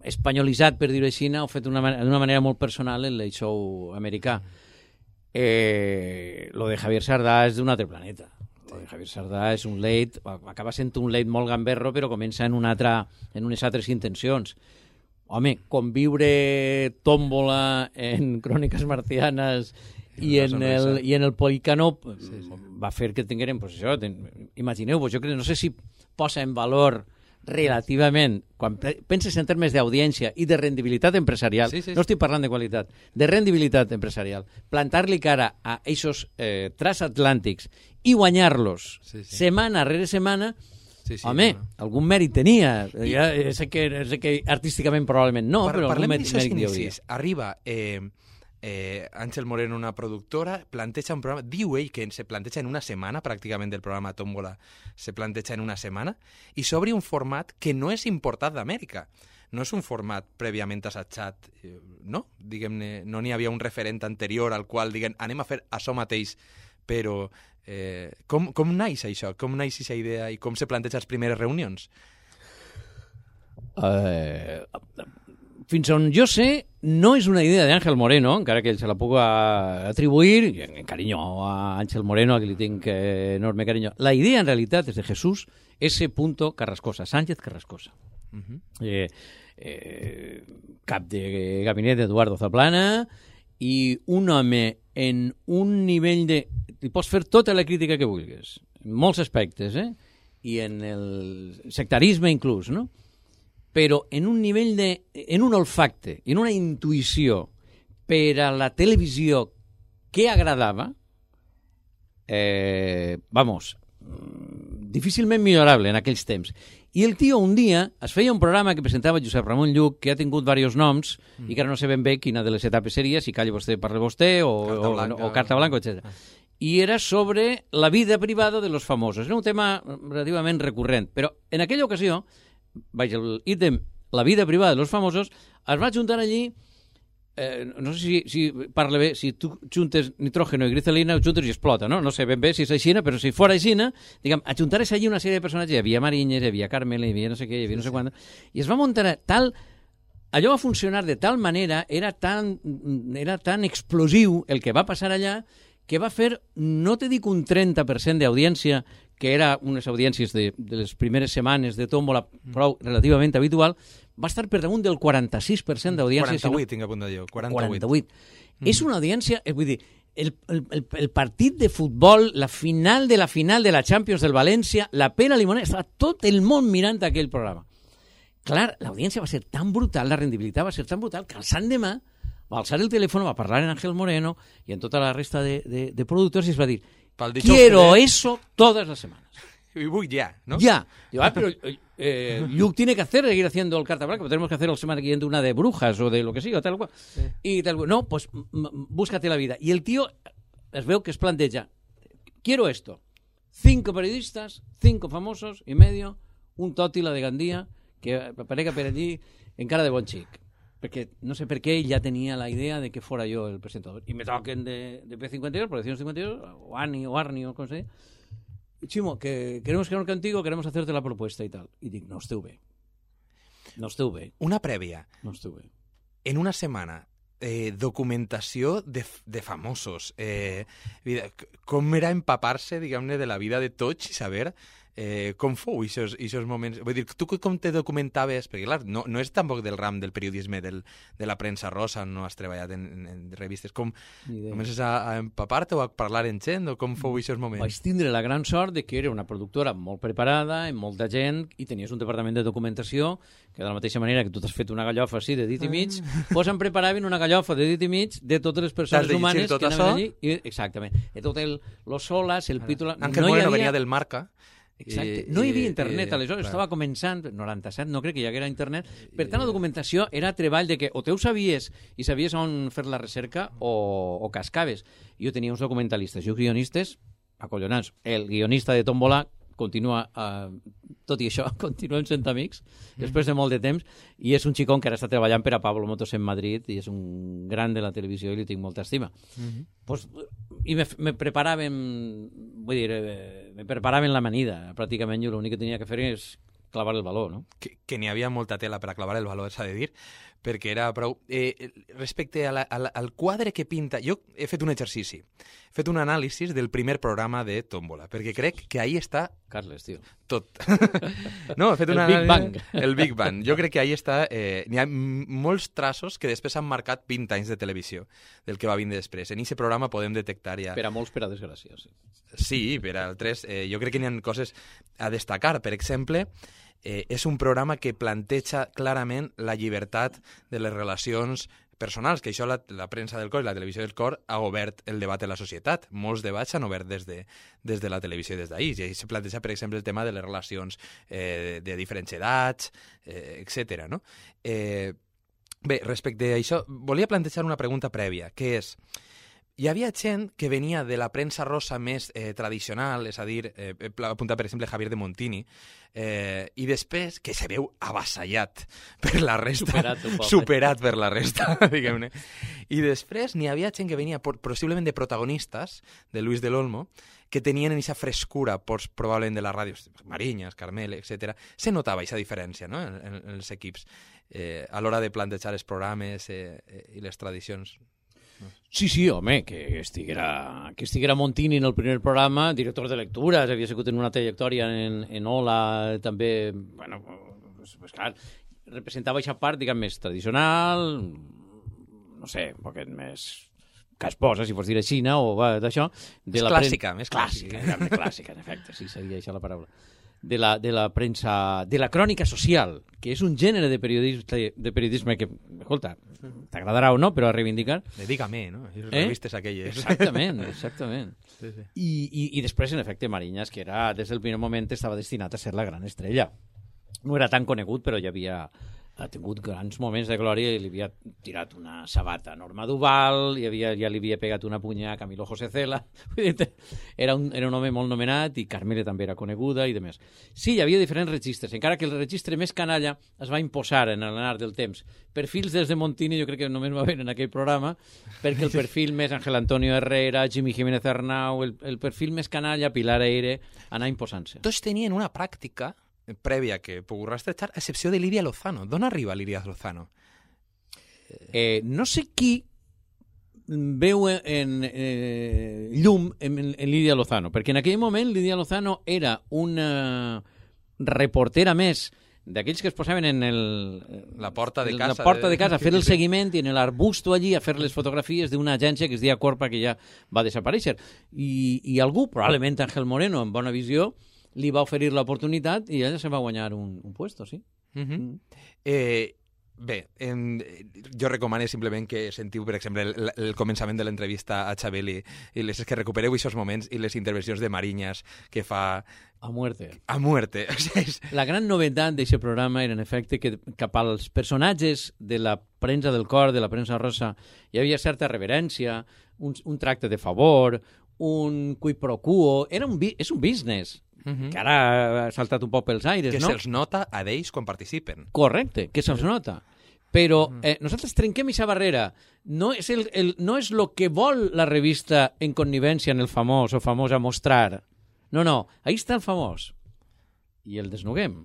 espanyolitzat, per dir-ho així, o fet d'una manera molt personal el late show americà. Lo de Javier Sardà és d'un altre planeta. Lo de Javier Sardà és un late, acaba sent un late molt gamberro, però comença en unes altres intencions. Home, conviure Tómbola en Cròniques Marcianes I en el Policanó va fer que tinguérem, pues això, imagineu-vos, jo crec, no sé si posa en valor relativament, quan penses en termes d'audiència i de rendibilitat empresarial, no estic parlant de qualitat, de rendibilitat empresarial, plantar-li cara a eixos transatlàntics i guanyar-los setmana rere setmana, home, algun mèrit tenia. Sé que artísticament probablement no, però algun mèrit hi hauria. Arriba Àngel Moreno, una productora, planteja un programa, diu ell que se planteja en una setmana, pràcticament del programa Tómbola se planteja en una setmana, i s'obre un format que no és importat d'Amèrica. No és un format prèviament assajat, no? Diguem-ne, no n'hi havia un referent anterior al qual diguem, anem a fer això mateix, però com naix això? Com naix aquesta idea i com se planteja les primeres reunions? Fins on jo sé, no és una idea d'Àngel Moreno, encara que ell se la puc atribuir, en carinyo a Àngel Moreno, a qui li tinc enorme carinyo. La idea, en realitat, és de Jesús S. Carrascosa, Sánchez Carrascosa. Cap de gabinet d'Eduardo Zaplana, i un home en un nivell de... Li pots fer tota la crítica que vulguis, en molts aspectes, i en el sectarisme inclús, no? Però en un nivell en un olfacte, en una intuïció per a la televisió que agradava, difícilment millorable en aquells temps. I el tio un dia es feia un programa que presentava Josep Ramon Lluc, que ha tingut diversos noms, i que ara no sé ben bé quina de les etapes seria, si calla vostè, parla vostè, o Carta Blanca, etc. I era sobre la vida privada de los famosos. Era un tema relativament recurrent, però en aquella ocasió, el ítem la vida privada de los famosos, es va juntar allí, no sé si parla bé, si tu juntes nitrógeno i glicerina, ho juntes i explota, no? No sé ben bé si és així, però si fora així, diguem, ajuntar-se allí una sèrie de personatges, hi havia Mariñez, hi havia Carmela, hi havia no sé què, hi havia no sé quant, i es va muntar tal... Allò va funcionar de tal manera, era tan explosiu el que va passar allà, que va fer, no te dic un 30% d'audiència, que era unes audiències de les primeres setmanes de Tómbola, prou relativament habitual, va estar per damunt del 46% d'audiència. 48, tinc a punt de dir. 48. És una audiència, vull dir, el partit de futbol, la final de la Champions del València, la Pera Limonera, estava tot el món mirant aquell programa. Clar, l'audiència va ser tan brutal, la rendibilitat va ser tan brutal, que al sant demà va alçar el telèfon, va parlar en Ángel Moreno i en tota la resta de productors i es va dir, quiero eso todas las semanas. Y voy ya, ¿no? Ya. Digo, pero Luke tiene que seguir haciendo el Carta Blanca, pero tenemos que hacer la semana que viene una de brujas o de lo que sea, o tal cual. Sí. Y tal cual. No, pues búscate la vida. Y el tío, es veo que es planteja, quiero esto. 5 periodistas, 5 famosos y medio, un Tòtila de Gandia, que aparega per allí en cara de bon xic. Perquè no sé per què ell ja tenia la idea de que fora jo el presentador. I me toquen de P52, Producciones 52, o Arni, o com se diu. Chimo, que queremos quedar contigo, queremos hacerte la propuesta y tal. I dic, no esteu bé. No esteu bé. Una prèvia. No esteu bé. En una setmana, documentació de famosos. Com era empapar-se, diguem-ne, de la vida de tots i saber com fou aquests moments? Vull dir, tu com te documentaves? Perquè, clar, no és tampoc del ram del periodisme de la premsa rosa, no has treballat en revistes. Com comences a empapar-te o a parlar en gent? O com fou aquests moments? Vaig tindre la gran sort de que era una productora molt preparada, amb molta gent, i tenies un departament de documentació que de la mateixa manera que tu t'has fet una gallofa així de dit i mig, doncs em preparaven una gallofa de dit i mig de totes les persones humanes que anaven allí. Exactament. De tot los solas, el pítol... Ángel Moreno venia del Marca. Exacte. No hi havia internet, aleshores estava començant, 97, no crec que hi haguera internet, per tant la documentació era treball de que o te ho sabies i sabies on fer la recerca o cascaves. Jo tenia uns documentalistes i uns guionistes acollonats. El guionista de Tómbola continua, tot i això, continuem sent amics després de molt de temps, i és un xicón que ara està treballant per a Pablo Motos en Madrid i és un gran de la televisió i li tinc molta estima. Pues, i me preparaven, vull dir, me preparaven l'amanida, pràcticament jo l'únic que tenia que fer és clavar el baló, no? Que n'hi havia molta tela per a clavar el baló, s'ha de dir, perquè era prou... respecte al quadre que pinta... Jo he fet un exercici, he fet un anàlisi del primer programa de Tómbola, perquè crec que ahí està... Carles, tio. Tot. No, he fet El Big Bang. El Big Bang. Jo crec que ahí està... N'hi ha molts traços que després han marcat 20 anys de televisió del que va vindre després. En aquest programa podem detectar ja... Per a molts, per a desgràcia, sí. Sí, per a altres. Jo crec que n'hi ha coses a destacar. Per exemple, és un programa que planteja clarament la llibertat de les relacions personals, que això la premsa del cor i la televisió del cor ha obert el debat en la societat. Molts debats s'han obert des de la televisió i des d'ahir. I ahí se planteja, per exemple, el tema de les relacions de diferents edats, etc. No? Bé, respecte a això, volia plantejar una pregunta prèvia, que és... Hi havia gent que venia de la premsa rosa més tradicional, és a dir, apunta per exemple Javier de Montini, i després que se veu avassallat per la resta, superat per la resta, diguem-ne. I després n'hi havia gent que venia possiblement de protagonistes, de Luis del Olmo, que tenien aquesta frescura probablement de les ràdios, Mariñas, Carmel, etc. Se notava aquesta diferència, no?, en els equips a l'hora de plantejar els programes i les tradicions. Sí, home, que estiguera Montini en el primer programa, director de lectures, havia sigut en una trajectòria en Ola, també, bueno, pues clar, representava aquesta part, diguem, més tradicional, no sé, un poquet més casposa, si pots dir així, o d'això. Més clàssica, més clàssica. Clàssica, en efecte, sí, seria això la paraula. De la premsa, de la crònica social, que és un gènere de periodisme que, escolta, t'agradarà o no, però a reivindicar. Dedícame, no? Les revistes aquelles. Exactament. Sí. I després, en efecte, Mariñas, que era, des del primer moment estava destinat a ser la gran estrella. No era tan conegut, però ja ha tingut grans moments de glòria i li havia tirat una sabata a Norma Duval, ja li havia pegat una punya a Camilo José Cela. Era un home molt nomenat i Carmele també era coneguda i demés. Sí, hi havia diferents registres, encara que el registre més canalla es va imposar en l'anar del temps. Perfils des de Montini jo crec que només va haver en aquell programa, perquè el perfil més Ángel Antonio Herrera, Jimmy Jiménez Arnau, el perfil més canalla, Pilar Eire, anar imposant-se. Tots tenien una pràctica prèvia que puc rastrejar, a excepció de Lídia Lozano. D'on arriba Lídia Lozano? No sé qui veu llum en Lídia Lozano, perquè en aquell moment Lídia Lozano era una reportera més d'aquells que es posaven en la porta de casa a fer el seguiment i en l'arbusto allí a fer les fotografies d'una agència que es deia Corpa, que ja va desaparèixer. I algú, probablement Ángel Moreno, amb bona visió, li va oferir l'oportunitat i ella se va guanyar un puesto, sí. Bé, jo recomano simplement que sentiu, per exemple, el començament de l'entrevista a Xabel i que recupereu aquests moments i les intervencions de Mariñas que fa... A muerte. O sigui, la gran novetat d'aquest programa era, en efecte, que cap als personatges de la premsa del cor, de la premsa rosa, hi havia certa reverència, un tracte de favor, un quid pro quo... És un business. Que ara ha saltat un poc pels aires, no? Que se'ls nota a d'ells quan participen. Correcte, que se'ls nota. Però nosaltres trenquem aquesta barrera. No és lo que vol la revista en connivència en el famós o famosa mostrar. No, ahí està el famós. I el desnuguem.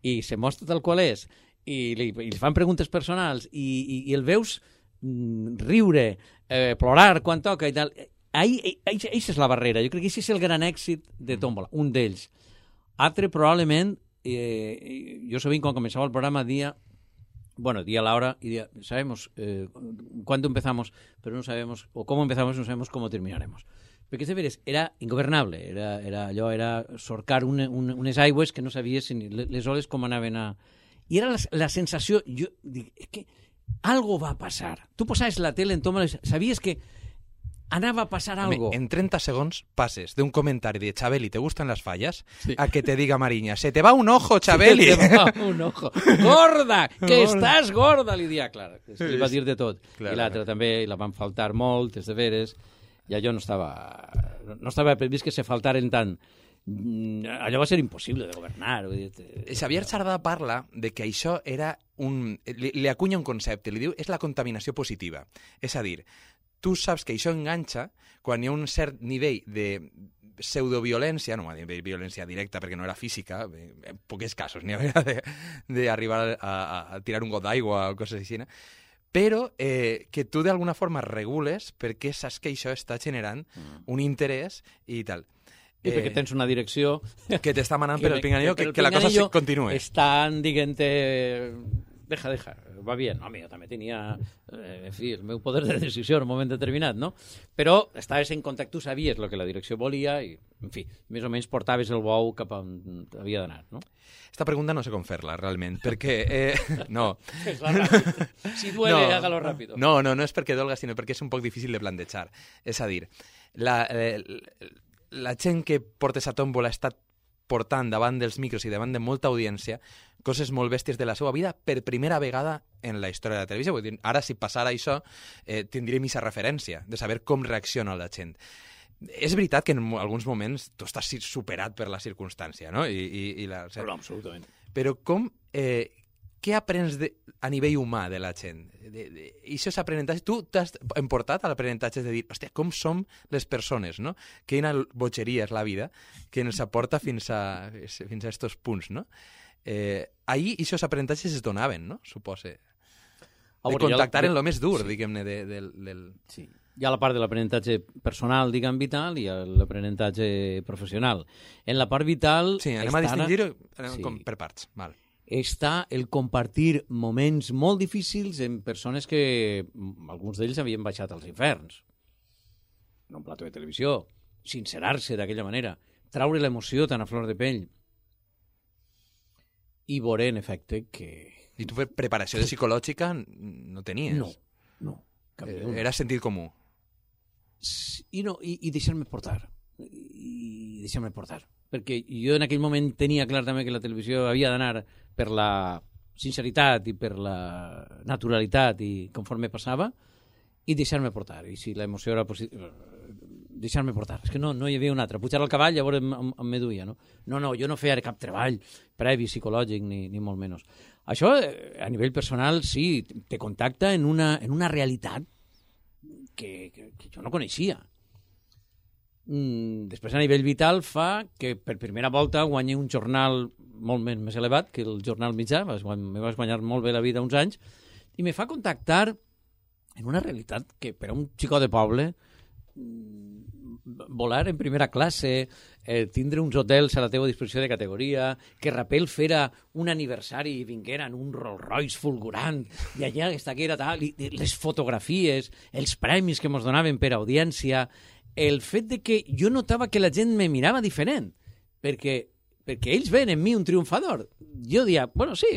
I se mostra tal qual és. I li fan preguntes personals i el veus riure, plorar quan toca i tal... Això és la barrera. Jo crec que això és el gran èxit de Tómbola, un d'ells. Altre, probablement, jo sovint quan començava el programa dia la hora y decía, sabemos cuándo empezamos, pero no sabemos, o cómo empezamos, no sabemos cómo terminaremos. Perquè, de veres, era ingobernable, era sorcar unes aigües que no sabies ni les oles com anaven a... I era la sensació, jo dic, és que algo va passar. Tu posaves la tele en Tómbola, sabies que anava a passar algo. En 30 segons passes d'un comentari de Chabeli, ¿te gustan las fallas? Sí. A que te diga Mariña, se te va un ojo, Chabeli. Se te va un ojo. Gorda, que estàs gorda, li dia, clar. Li va dir de tot. Clar, i l'altre també, la van faltar molt, de veres. I allò no estava previst que se faltaren tant. Allò va ser impossible de governar. Xavier Sardà parla de que això era li acunya un concepte, li diu és la contaminació positiva. És a dir, tu saps que això enganxa quan hi ha un cert nivell de pseudoviolència, no violència directa perquè no era física, en pocs casos n'hi havia d'arribar a tirar un got d'aigua o coses així, però que tu d'alguna forma regules perquè saps que això està generant un interès i tal. I perquè tens una direcció que t'està manant per el pinganillo que la cosa continue. Estan, diguem-te, deja, va bien. Home, jo també tenia, en fi, el meu poder de decisió en un moment determinat, no? Però estaves en contacte, tu sabies el que la direcció volia i, en fi, més o menys portaves el bou cap on havia d'anar, no? Esta pregunta no sé com fer-la, realment, perquè... no. Fes-la ràpid. Si duele, hágalo ràpid. No és perquè dolga, sinó perquè és un poc difícil de plantejar. És a dir, la gent que porta esa tómbola està portant davant dels micros i davant de molta audiència coses molt bèsties de la seva vida per primera vegada en la història de la televisió. Vull dir, ara, si passara això, tindríem aquesta referència de saber com reacciona la gent. És veritat que en alguns moments tu estàs superat per la circumstància, no? Però absolutament. Però com... què aprens a nivell humà de la gent? I això és aprenentatge. Tu t'has emportat a l'aprenentatge de dir, hòstia, com som les persones, no? Quina bogeria és la vida que ens aporta fins a estos punts, no? Ahir aquests aprenentatges es donaven, no? Supose. De contactar en lo més dur, diguem-ne, del... Sí. Hi ha la part de l'aprenentatge personal, diguem, vital, i l'aprenentatge professional. En la part vital... Sí, anem a distingir per parts, val. Està el compartir moments molt difícils en persones que alguns d'ells havien baixat als inferns. En un plató de televisió, sincerar-se d'aquella manera, traure l'emoció tan a flor de pell i veure, en efecte, que... I tu preparació psicològica no tenies? No. Era sentit comú? I deixar-me portar. I deixar-me portar. Perquè jo en aquell moment tenia clar també que la televisió havia d'anar per la sinceritat i per la naturalitat i conforme passava i deixar-me portar. I si l'emoció era positiva, deixar-me portar. És que no hi havia una altra. Pujar al cavall llavors em meduia, no? No, jo no feia cap treball previ psicològic ni molt menys. Això, a nivell personal, sí, te contacta en una realitat que jo no coneixia. Després, a nivell vital, fa que per primera volta guanyi un jornal molt més elevat que el jornal mitjà. Me vas guanyar molt bé la vida uns anys i me fa contactar en una realitat que per a un xicó de poble volar en primera classe, tindre uns hotels a la teva disposició de categoria, que Rapel fera un aniversari i vingueren un Rolls Royce fulgurant, i allà està que era tal, i les fotografies, els premis que ens donaven per audiència, el fet de que jo notava que la gent me mirava diferent, perquè ells ven en mi un triomfador. Jo dia, bueno, sí,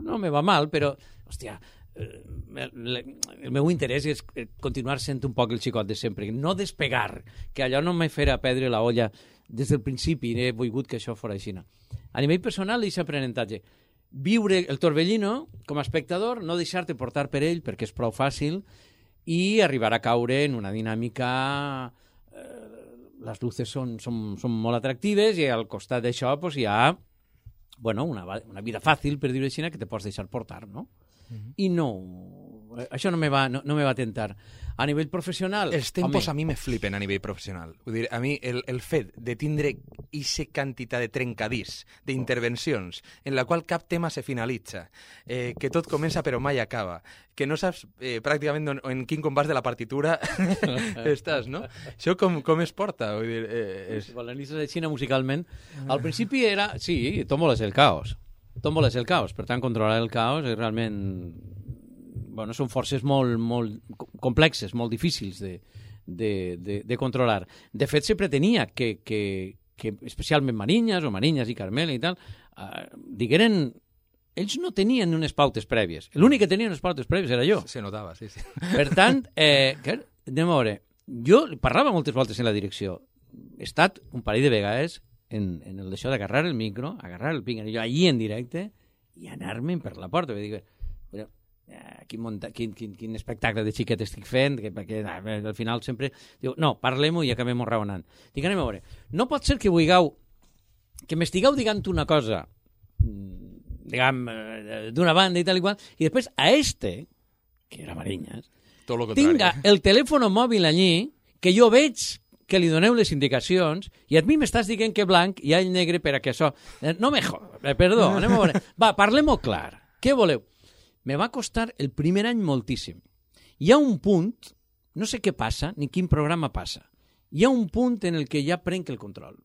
no me va mal, però, hòstia, el meu interès és continuar sent un poc el xicot de sempre, no despegar, que allò no me fera perdre la olla des del principi, he volgut que això fos així. A nivell personal, aquest aprenentatge. Viure el torbellino com a espectador, no deixar-te portar per ell, perquè és prou fàcil, i arribar a caure en una dinàmica... Les luces són molt atractives i al costat d'això pues, hi ha una vida fàcil, per dir-ho així, que te pots deixar portar, no? I no, això no me va tentar. A nivell professional... Els tempos a mi me flipen a nivell professional. Vull dir, a mi el fet de tindre aquesta quantitat de trencadís, d'intervencions, en la qual cap tema se finalitza, que tot comença però mai acaba, que no saps pràcticament en quin compàs de la partitura estàs, no? Això com es porta? Vull dir, l'analitzes de Xina musicalment. Al principi era... Sí, tómbola és el caos. Tómbola és el caos. Per tant, controlar el caos és realment... Bueno, són forces molt complexes, molt difícils de controlar. De fet, se pretenia que especialment Marinyes i Carmela i tal, digueren... Ells no tenien unes pautes prèvies. L'únic que tenia unes pautes prèvies era jo. Se notava, sí. Per tant, anem a veure, jo parlava moltes voltes en la direcció. He estat un parell de vegades en el d'això d'agarrar el micro, agarrar el pinganillo allí en directe i anar-me'n per la porta. Vull dir, quin espectacle de xiquet estic fent, perquè al final sempre diu, no, parlem-ho i acabem raonant. Dic, anem a veure, no pot ser que m'estigueu dient una cosa, diguem, d'una banda i tal i qual, i després a que era Marinyes, tot el contrari. Tinga el telèfon mòbil allí, que jo veig que li doneu les indicacions i a mi m'estàs dient que blanc i all negre per a que això... No me perdó, anem a veure. Va, parlem-ho clar. Què voleu? Me va costar el primer any moltíssim. Hi ha un punt, no sé què passa, ni quin programa passa, hi ha un punt en el que ja prenc el control.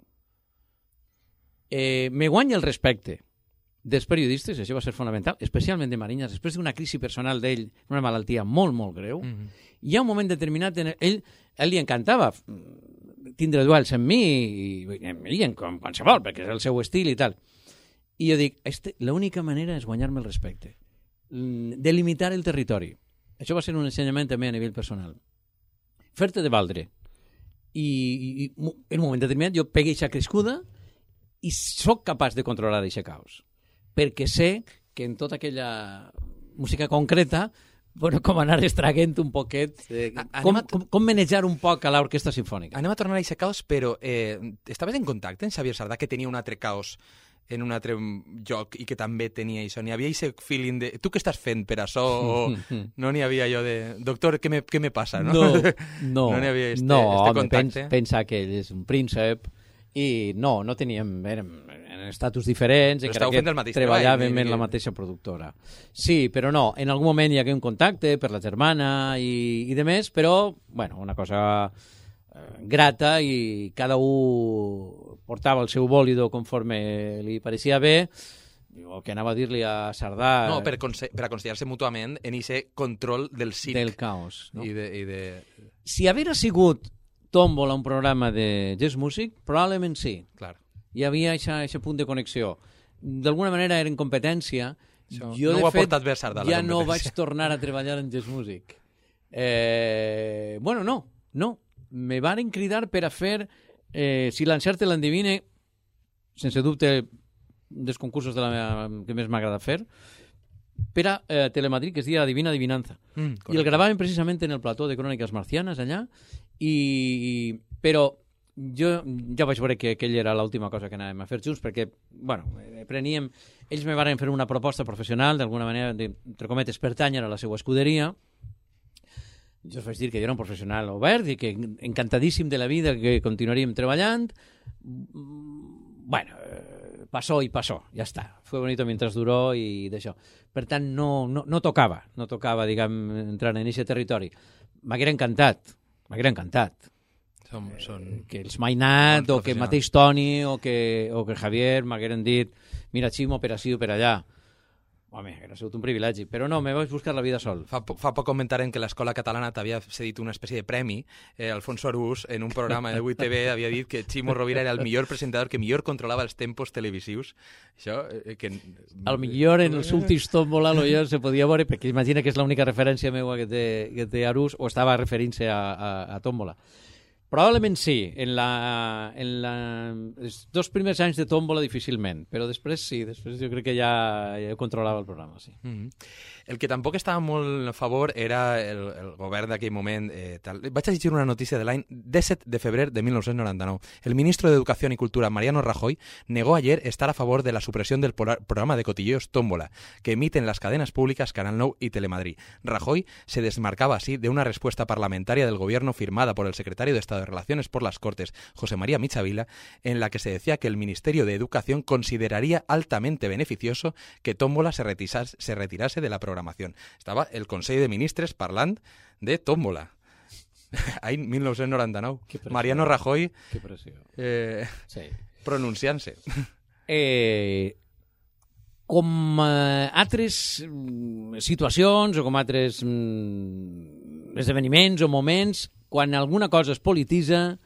Me guanya el respecte dels periodistes, això va ser fonamental, especialment de Mariñas, després d'una crisi personal d'ell, una malaltia molt, molt greu. Hi ha un moment determinat en ell li encantava tindre duels amb mi i en qualsevol, perquè és el seu estil i tal. I jo dic, l'única manera és guanyar-me el respecte, delimitar el territori. Això va ser un ensenyament també a nivell personal. Fer-te de valdre. I en un moment determinat jo pegué aquesta crescuda i sóc capaç de controlar aquest caos. Perquè sé que en tota aquella música concreta, bueno, com anar extraguent un poquet, com manejar un poc a l'orquestra sinfònica. Anem a tornar a aquest caos, però estaves en contacte amb Xavier Sardà, que tenia un altre caos en un altre lloc i que també tenia això? N'hi havia aquest feeling de... Tu què estàs fent per això? No n'hi havia allò de... Doctor, què me passa? No n'hi havia este contacte. Pensa que ell és un príncep i no teníem... Érem en estatus diferents, encara que treballàvem en la mateixa productora. Sí, però no, en algun moment hi hagué un contacte per la germana i de més, però, bueno, una cosa grata i cada un portava el seu bòlido conforme li pareixia bé, o que anava a dir-li a Sardà... No, per aconsellar-se mútuament en aquest control del circ. Del caos. No? Si haguera sigut Tómbola un programa de jazz music, probablement sí. Clar. Hi havia aquest punt de connexió. D'alguna manera era en competència. Jo, no ho ha portat bé Sardà, la competència. Ja no vaig tornar a treballar en jazz music. Bueno, no. Me varen cridar per a fer Si l'encert l'endivine, sense dubte, dels concursos que més m'agrada fer, per a Telemadrid, que es deia Divina Adivinanza. I el gravaven precisament en el plató de Cròniques Marcianes, allà, però jo ja vaig veure que aquella era l'última cosa que anàvem a fer junts, perquè, bueno, ells me varen fer una proposta professional, d'alguna manera, entre cometes, pertànyer a la seva escuderia. Jo us vaig dir que jo era un professional obert i que encantadíssim de la vida, que continuaríem treballant. Bueno, passó i passó, ja està. Fue bonito mientras duró i d'això. Per tant, no tocava, diguem, entrar en aquest territori. M'haguera encantat. Que els Mainat, o que mateix Toni, o que Javier m'hagueren dit mira, Ximo, per ací o per allà. Home, hauria sigut un privilegi, però no, me vaig buscar la vida sol. Fa poc comentaren que l'Escola Catalana t'havia cedit una espècie de premi. Alfonso Arús, en un programa de 8TV, havia dit que Ximo Rovira era el millor presentador que millor controlava els tempos televisius. Això, que... Al millor en els últims Tómbola se podia veure, perquè imagina que és l'única referència meva que té Arús, o estava referint-se a Tómbola. Probablement sí, en els 2 primers anys de Tómbola difícilment, però després sí, després jo crec que ja controlava el programa, sí. El que tampoc estava molt a favor era el govern d'aquell moment. Vaig a llegir una notícia de l'any 17 de febrer de 1999. El ministro de Educación y Cultura, Mariano Rajoy, negó ayer estar a favor de la supresión del programa de cotilleos Tómbola, que emiten las cadenas públicas Canal 9 y Telemadrid. Rajoy se desmarcaba así de una respuesta parlamentaria del gobierno firmada por el secretario de Estado de Relaciones por las Cortes, José María Michavila, en la que se decía que el Ministerio de Educación consideraría altamente beneficioso que Tómbola se retirase de la programación. Estava el Consell de Ministres parlant de Tómbola. Any 1999. Mariano Rajoy pronunciant-se. Com altres situacions o com altres esdeveniments o moments, quan alguna cosa es polititza,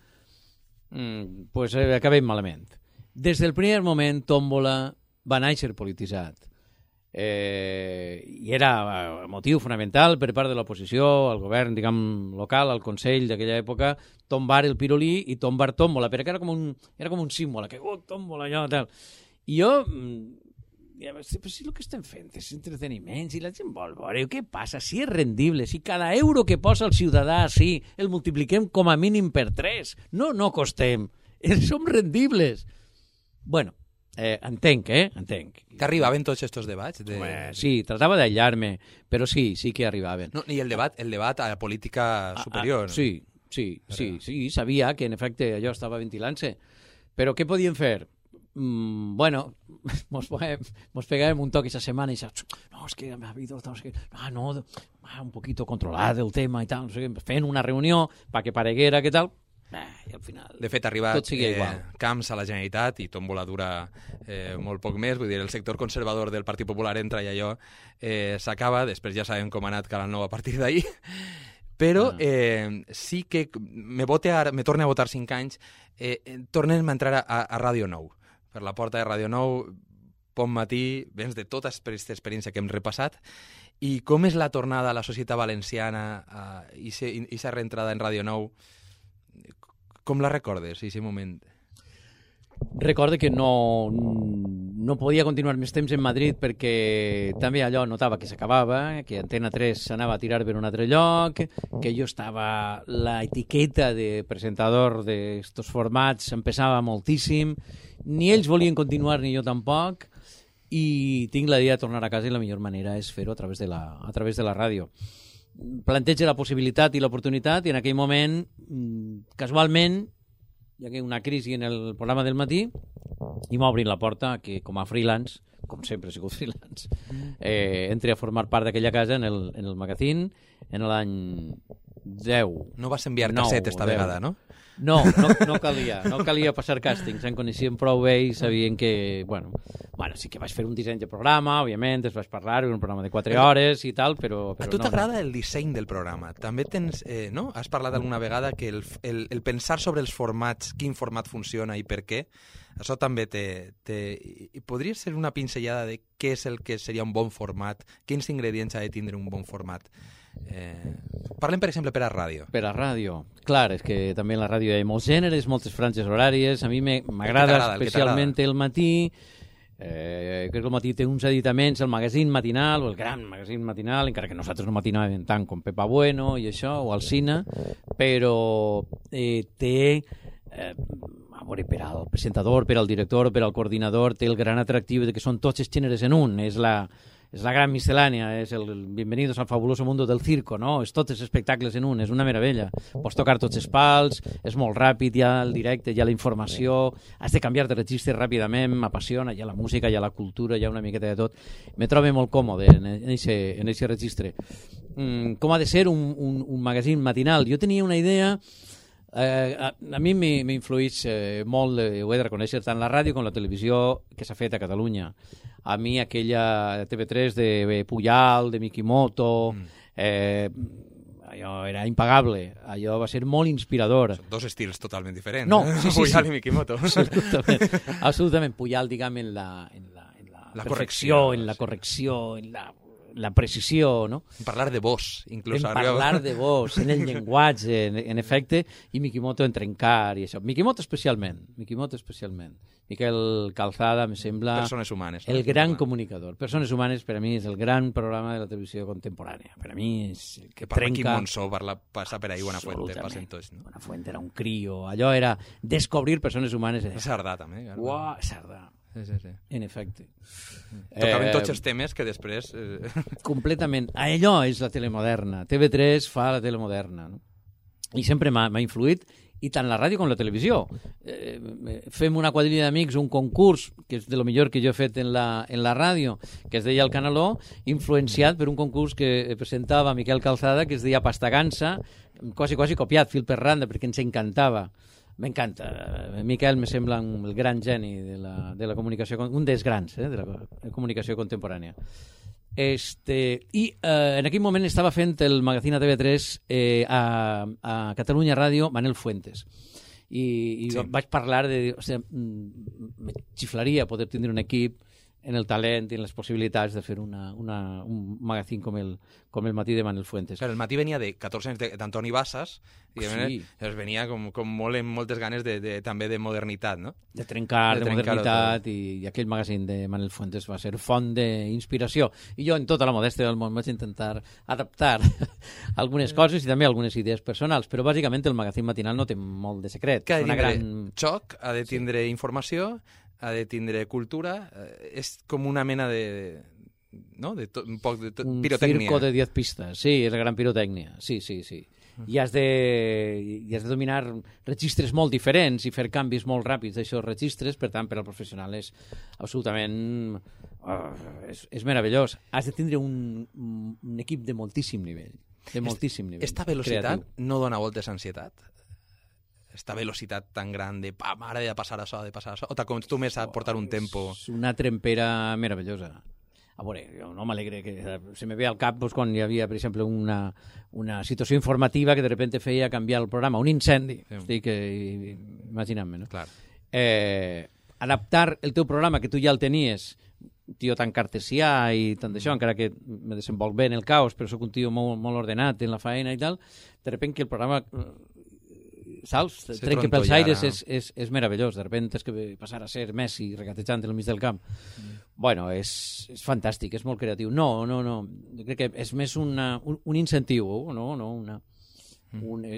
pues acabem malament. Des del primer moment, Tómbola va néixer polititzat. I era motiu fonamental per part de l'oposició, al govern, diguem, local, al Consell d'aquella època, tombar el pirulí i tombar Tómbola, perquè era com un símbol, que Tómbola, allò, tal. I jo, però si el que estem fent és entreteniment, si la gent vol veure, què passa? Si és rendible, si cada euro que posa el ciutadà, sí, el multipliquem com a mínim per 3, no costem, som rendibles. Bueno, Entenc. T'arribaven tots aquests debats? Sí, tratava d'aïllar-me, però sí que arribaven. No, i el debat a la política superior. Sí, sabia que en efecte allò estava ventilant-se. Però què podíem fer? Bueno, mos pegàvem un toc aquesta setmana i no, és que ha habido, un poquito controlat el tema i tal, no sé, fent una reunió perquè pareguera, què tal, i al final de fet ha arribat Camps a la Generalitat i tomboladura molt poc més, vull dir, el sector conservador del Partit Popular entra i allò s'acaba, després ja sabem com ha anat Canal 9 a partir d'ahir, però sí que me torna a votar 5 anys, tornem a entrar a Ràdio 9, per la porta de Ràdio 9, bon matí, vens de tota aquesta experiència que hem repassat, i com és la tornada a la societat valenciana i aquesta reentrada en Ràdio 9, com la recordes, aquest moment? Recorde que no podia continuar més temps en Madrid perquè també allò notava que s'acabava, que Antena 3 s'anava a tirar per un altre lloc, que jo estava... La etiqueta de presentador d'estos formats empezava moltíssim, ni ells volien continuar ni jo tampoc, i tinc la idea de tornar a casa i la millor manera és fer-ho a través de la ràdio. Planteja la possibilitat i l'oportunitat i en aquell moment, casualment, hi hagué una crisi en el programa del matí i m'obrin la porta que com a freelance, com sempre he sigut freelance, entre a formar part d'aquella casa en el magazín en l'any 10. No vas enviar casset esta vegada, no? No calia passar càstings, em coneixien prou bé i sabien que, bueno, sí que vaig fer un disseny de programa, òbviament, es vaig parlar, un programa de 4 hores i tal, però a tu t'agrada el disseny del programa? També tens, no? Has parlat alguna vegada que el pensar sobre els formats, quin format funciona i per què, això també podria ser una pinzellada de què és el que seria un bon format, quins ingredients ha de tindre un bon format? Parlem, per exemple, per a ràdio. Per a ràdio. Clar, és que també en la ràdio hi ha molts gèneres, moltes franges horàries. A mi m'agrada especialment el matí. Crec que el matí té uns editaments, el magazín matinal, o el gran magazín matinal, encara que nosaltres no matinàvem tant com Pepa Bueno i això, o Alsina, però té... a veure, per al presentador, per al director, per al coordinador, té el gran atractiu de que són tots els gèneres en un. És la gran miscel·lània, és el Bienvenidos al fabuloso mundo del circo, no? És tots els espectacles en un, és una meravella. Pots tocar tots els pals, és molt ràpid, hi ha el directe, hi ha la informació, has de canviar de registre ràpidament, m'apassiona, hi ha la música, hi ha la cultura, hi ha una miqueta de tot. Me trobo molt còmode en aquest registre. Com ha de ser un magazín matinal? Jo tenia una idea... a mi m'influeix molt, ho he de reconèixer, tant la ràdio com la televisió que s'ha fet a Catalunya. A mi aquella TV3 de Pujal, de Mikimoto, allò era impagable, allò va ser molt inspirador. Són dos estils totalment diferents. No, sí. Pujal i Mikimoto. Absolutament. Pujal, diguem, en la perfecció, en la correcció, en la precisió, no? En parlar de vos, inclús. Parlar de vos, en el llenguatge, en efecte, i Mikimoto en trencar i això. Mikimoto especialment. Miquel Calzada, me sembla... Persones humanes. El gran comunicador. Persones humanes, per a mi, és el gran programa de la televisió contemporània. Per a mi és el que trenca... Quim Monsó passa per ahí, Buenafuente, passen tots, no? Buenafuente era un crio. Allò era descobrir persones humanes. Sardà, també. Uau, Sardà. Sí. En efecte. Tocaven tots els temes que després... Completament. Allò és la tele moderna. TV3 fa la tele moderna. No? I sempre m'ha influït, i tant la ràdio com la televisió. Fem una quadrilla d'amics, un concurs, que és de lo millor que jo he fet en la ràdio, que es deia El Canaló, influenciat per un concurs que presentava Miquel Calzada, que es deia Pastagansa, quasi copiat, fil per randa, perquè ens encantava. M'encanta. Miquel me sembla el gran geni de la comunicació, un dels grans de la comunicació contemporània. I en aquell moment estava fent el magazín a TV3 a Catalunya Ràdio Manel Fuentes. I sí. Vaig parlar de... O sigui, me xiflaria poder tindre un equip en el talent i en les possibilitats de fer un magazín com el Matí de Manel Fuentes. Claro, el Matí venia de 14 anys d'Antoni Bassas i sí. Venia com molt amb moltes ganes també de modernitat, no? De trencar de modernitat, i aquell magazín de Manel Fuentes va ser font d'inspiració. I jo, en tota la modèstia del món, vaig intentar adaptar algunes coses i també algunes idees personals, però bàsicament el magazín matinal no té molt de secret. Que ha de tindre xoc, ha de tindre informació, ha de tindre cultura, és com una mena de... no? Un poc de pirotècnia. Un circo de 10 pistes, sí, és la gran pirotècnia, sí. I has de dominar registres molt diferents i fer canvis molt ràpids d'aixòs registres, per tant, per al professional és absolutament... és meravellós. Has de tindre un equip de moltíssim nivell. Esta velocitat no dona voltes a ansietat? Esta velocitat tan gran de ara he de passar això, o t'acostumes a portar un tempo? És una trempera meravellosa. A veure, jo no m'alegre que se me ve al cap quan hi havia, per exemple, una situació informativa que de repente feia canviar el programa, un incendi, estic imaginant-me, no? Clar. Adaptar el teu programa, que tu ja el tenies, un tio tan cartesià i tant d'això, encara que me desenvolc bé en el caos, però sóc un tio molt ordenat en la faena i tal, de repente que el programa... saps? Trenca pels aires és meravellós. De repente és que passar a ser Messi regatejant al mig del camp. Bueno, és fantàstic, és molt creatiu. No. Jo crec que és més un incentiu, no?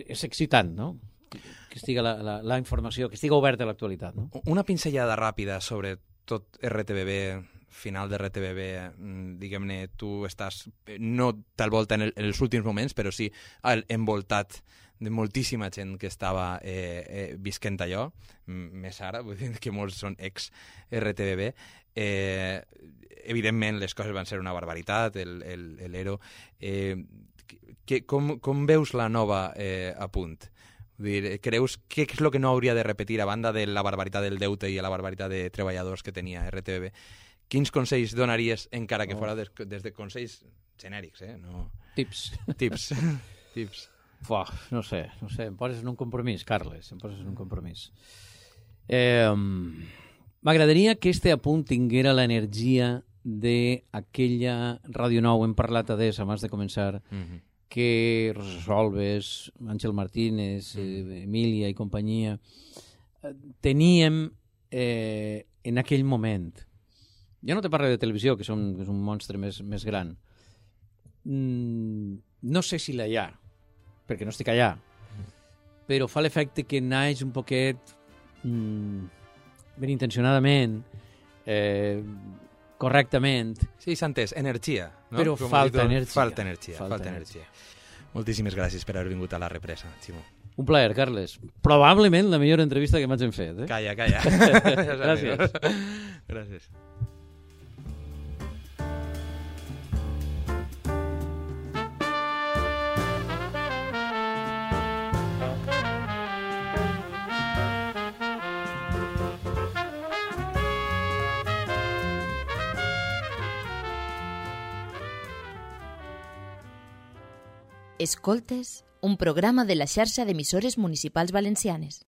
És excitant, no? Que estigui la informació, que estigui oberta a l'actualitat, no? Una pinzellada ràpida sobre tot RTBB, final de RTBB, diguem-ne, tu estàs, no tal volta en els últims moments, però sí envoltat de moltíssima gent que estava visquent allò, més ara, vull dir que molts són ex-RTBB. Evidentment, les coses van ser una barbaritat, l'ERO. Com veus la nova a punt? Vull dir, creus què és el que no hauria de repetir a banda de la barbaritat del deute i la barbaritat de treballadors que tenia RTBB? Quins consells donaries, encara que fora des de consells genèrics, No... Tips. No sé, em poses en un compromís, Carles, M'agradaria que este apunt tinguera l'energia d'aquella Ràdio Nou, hem parlat adés abans de començar, que Rosa Solves, Àngel Martínez, Emília i companyia teníem en aquell moment. Jo no te parlo de televisió, que és un monstre més gran. No sé si la hi ha, perquè no estic allà, però fa l'efecte que naix un poquet ben intencionadament, correctament. Sí, s'ha entès, energia. No? Però falta energia. Falta energia. Moltíssimes gràcies per haver vingut a La Represa, Ximo. Un plaer, Carles. Probablement la millor entrevista que m'hagin fet. Calla. Gràcies. Escoltes, un programa de la xarxa d'emissores municipals valencianes.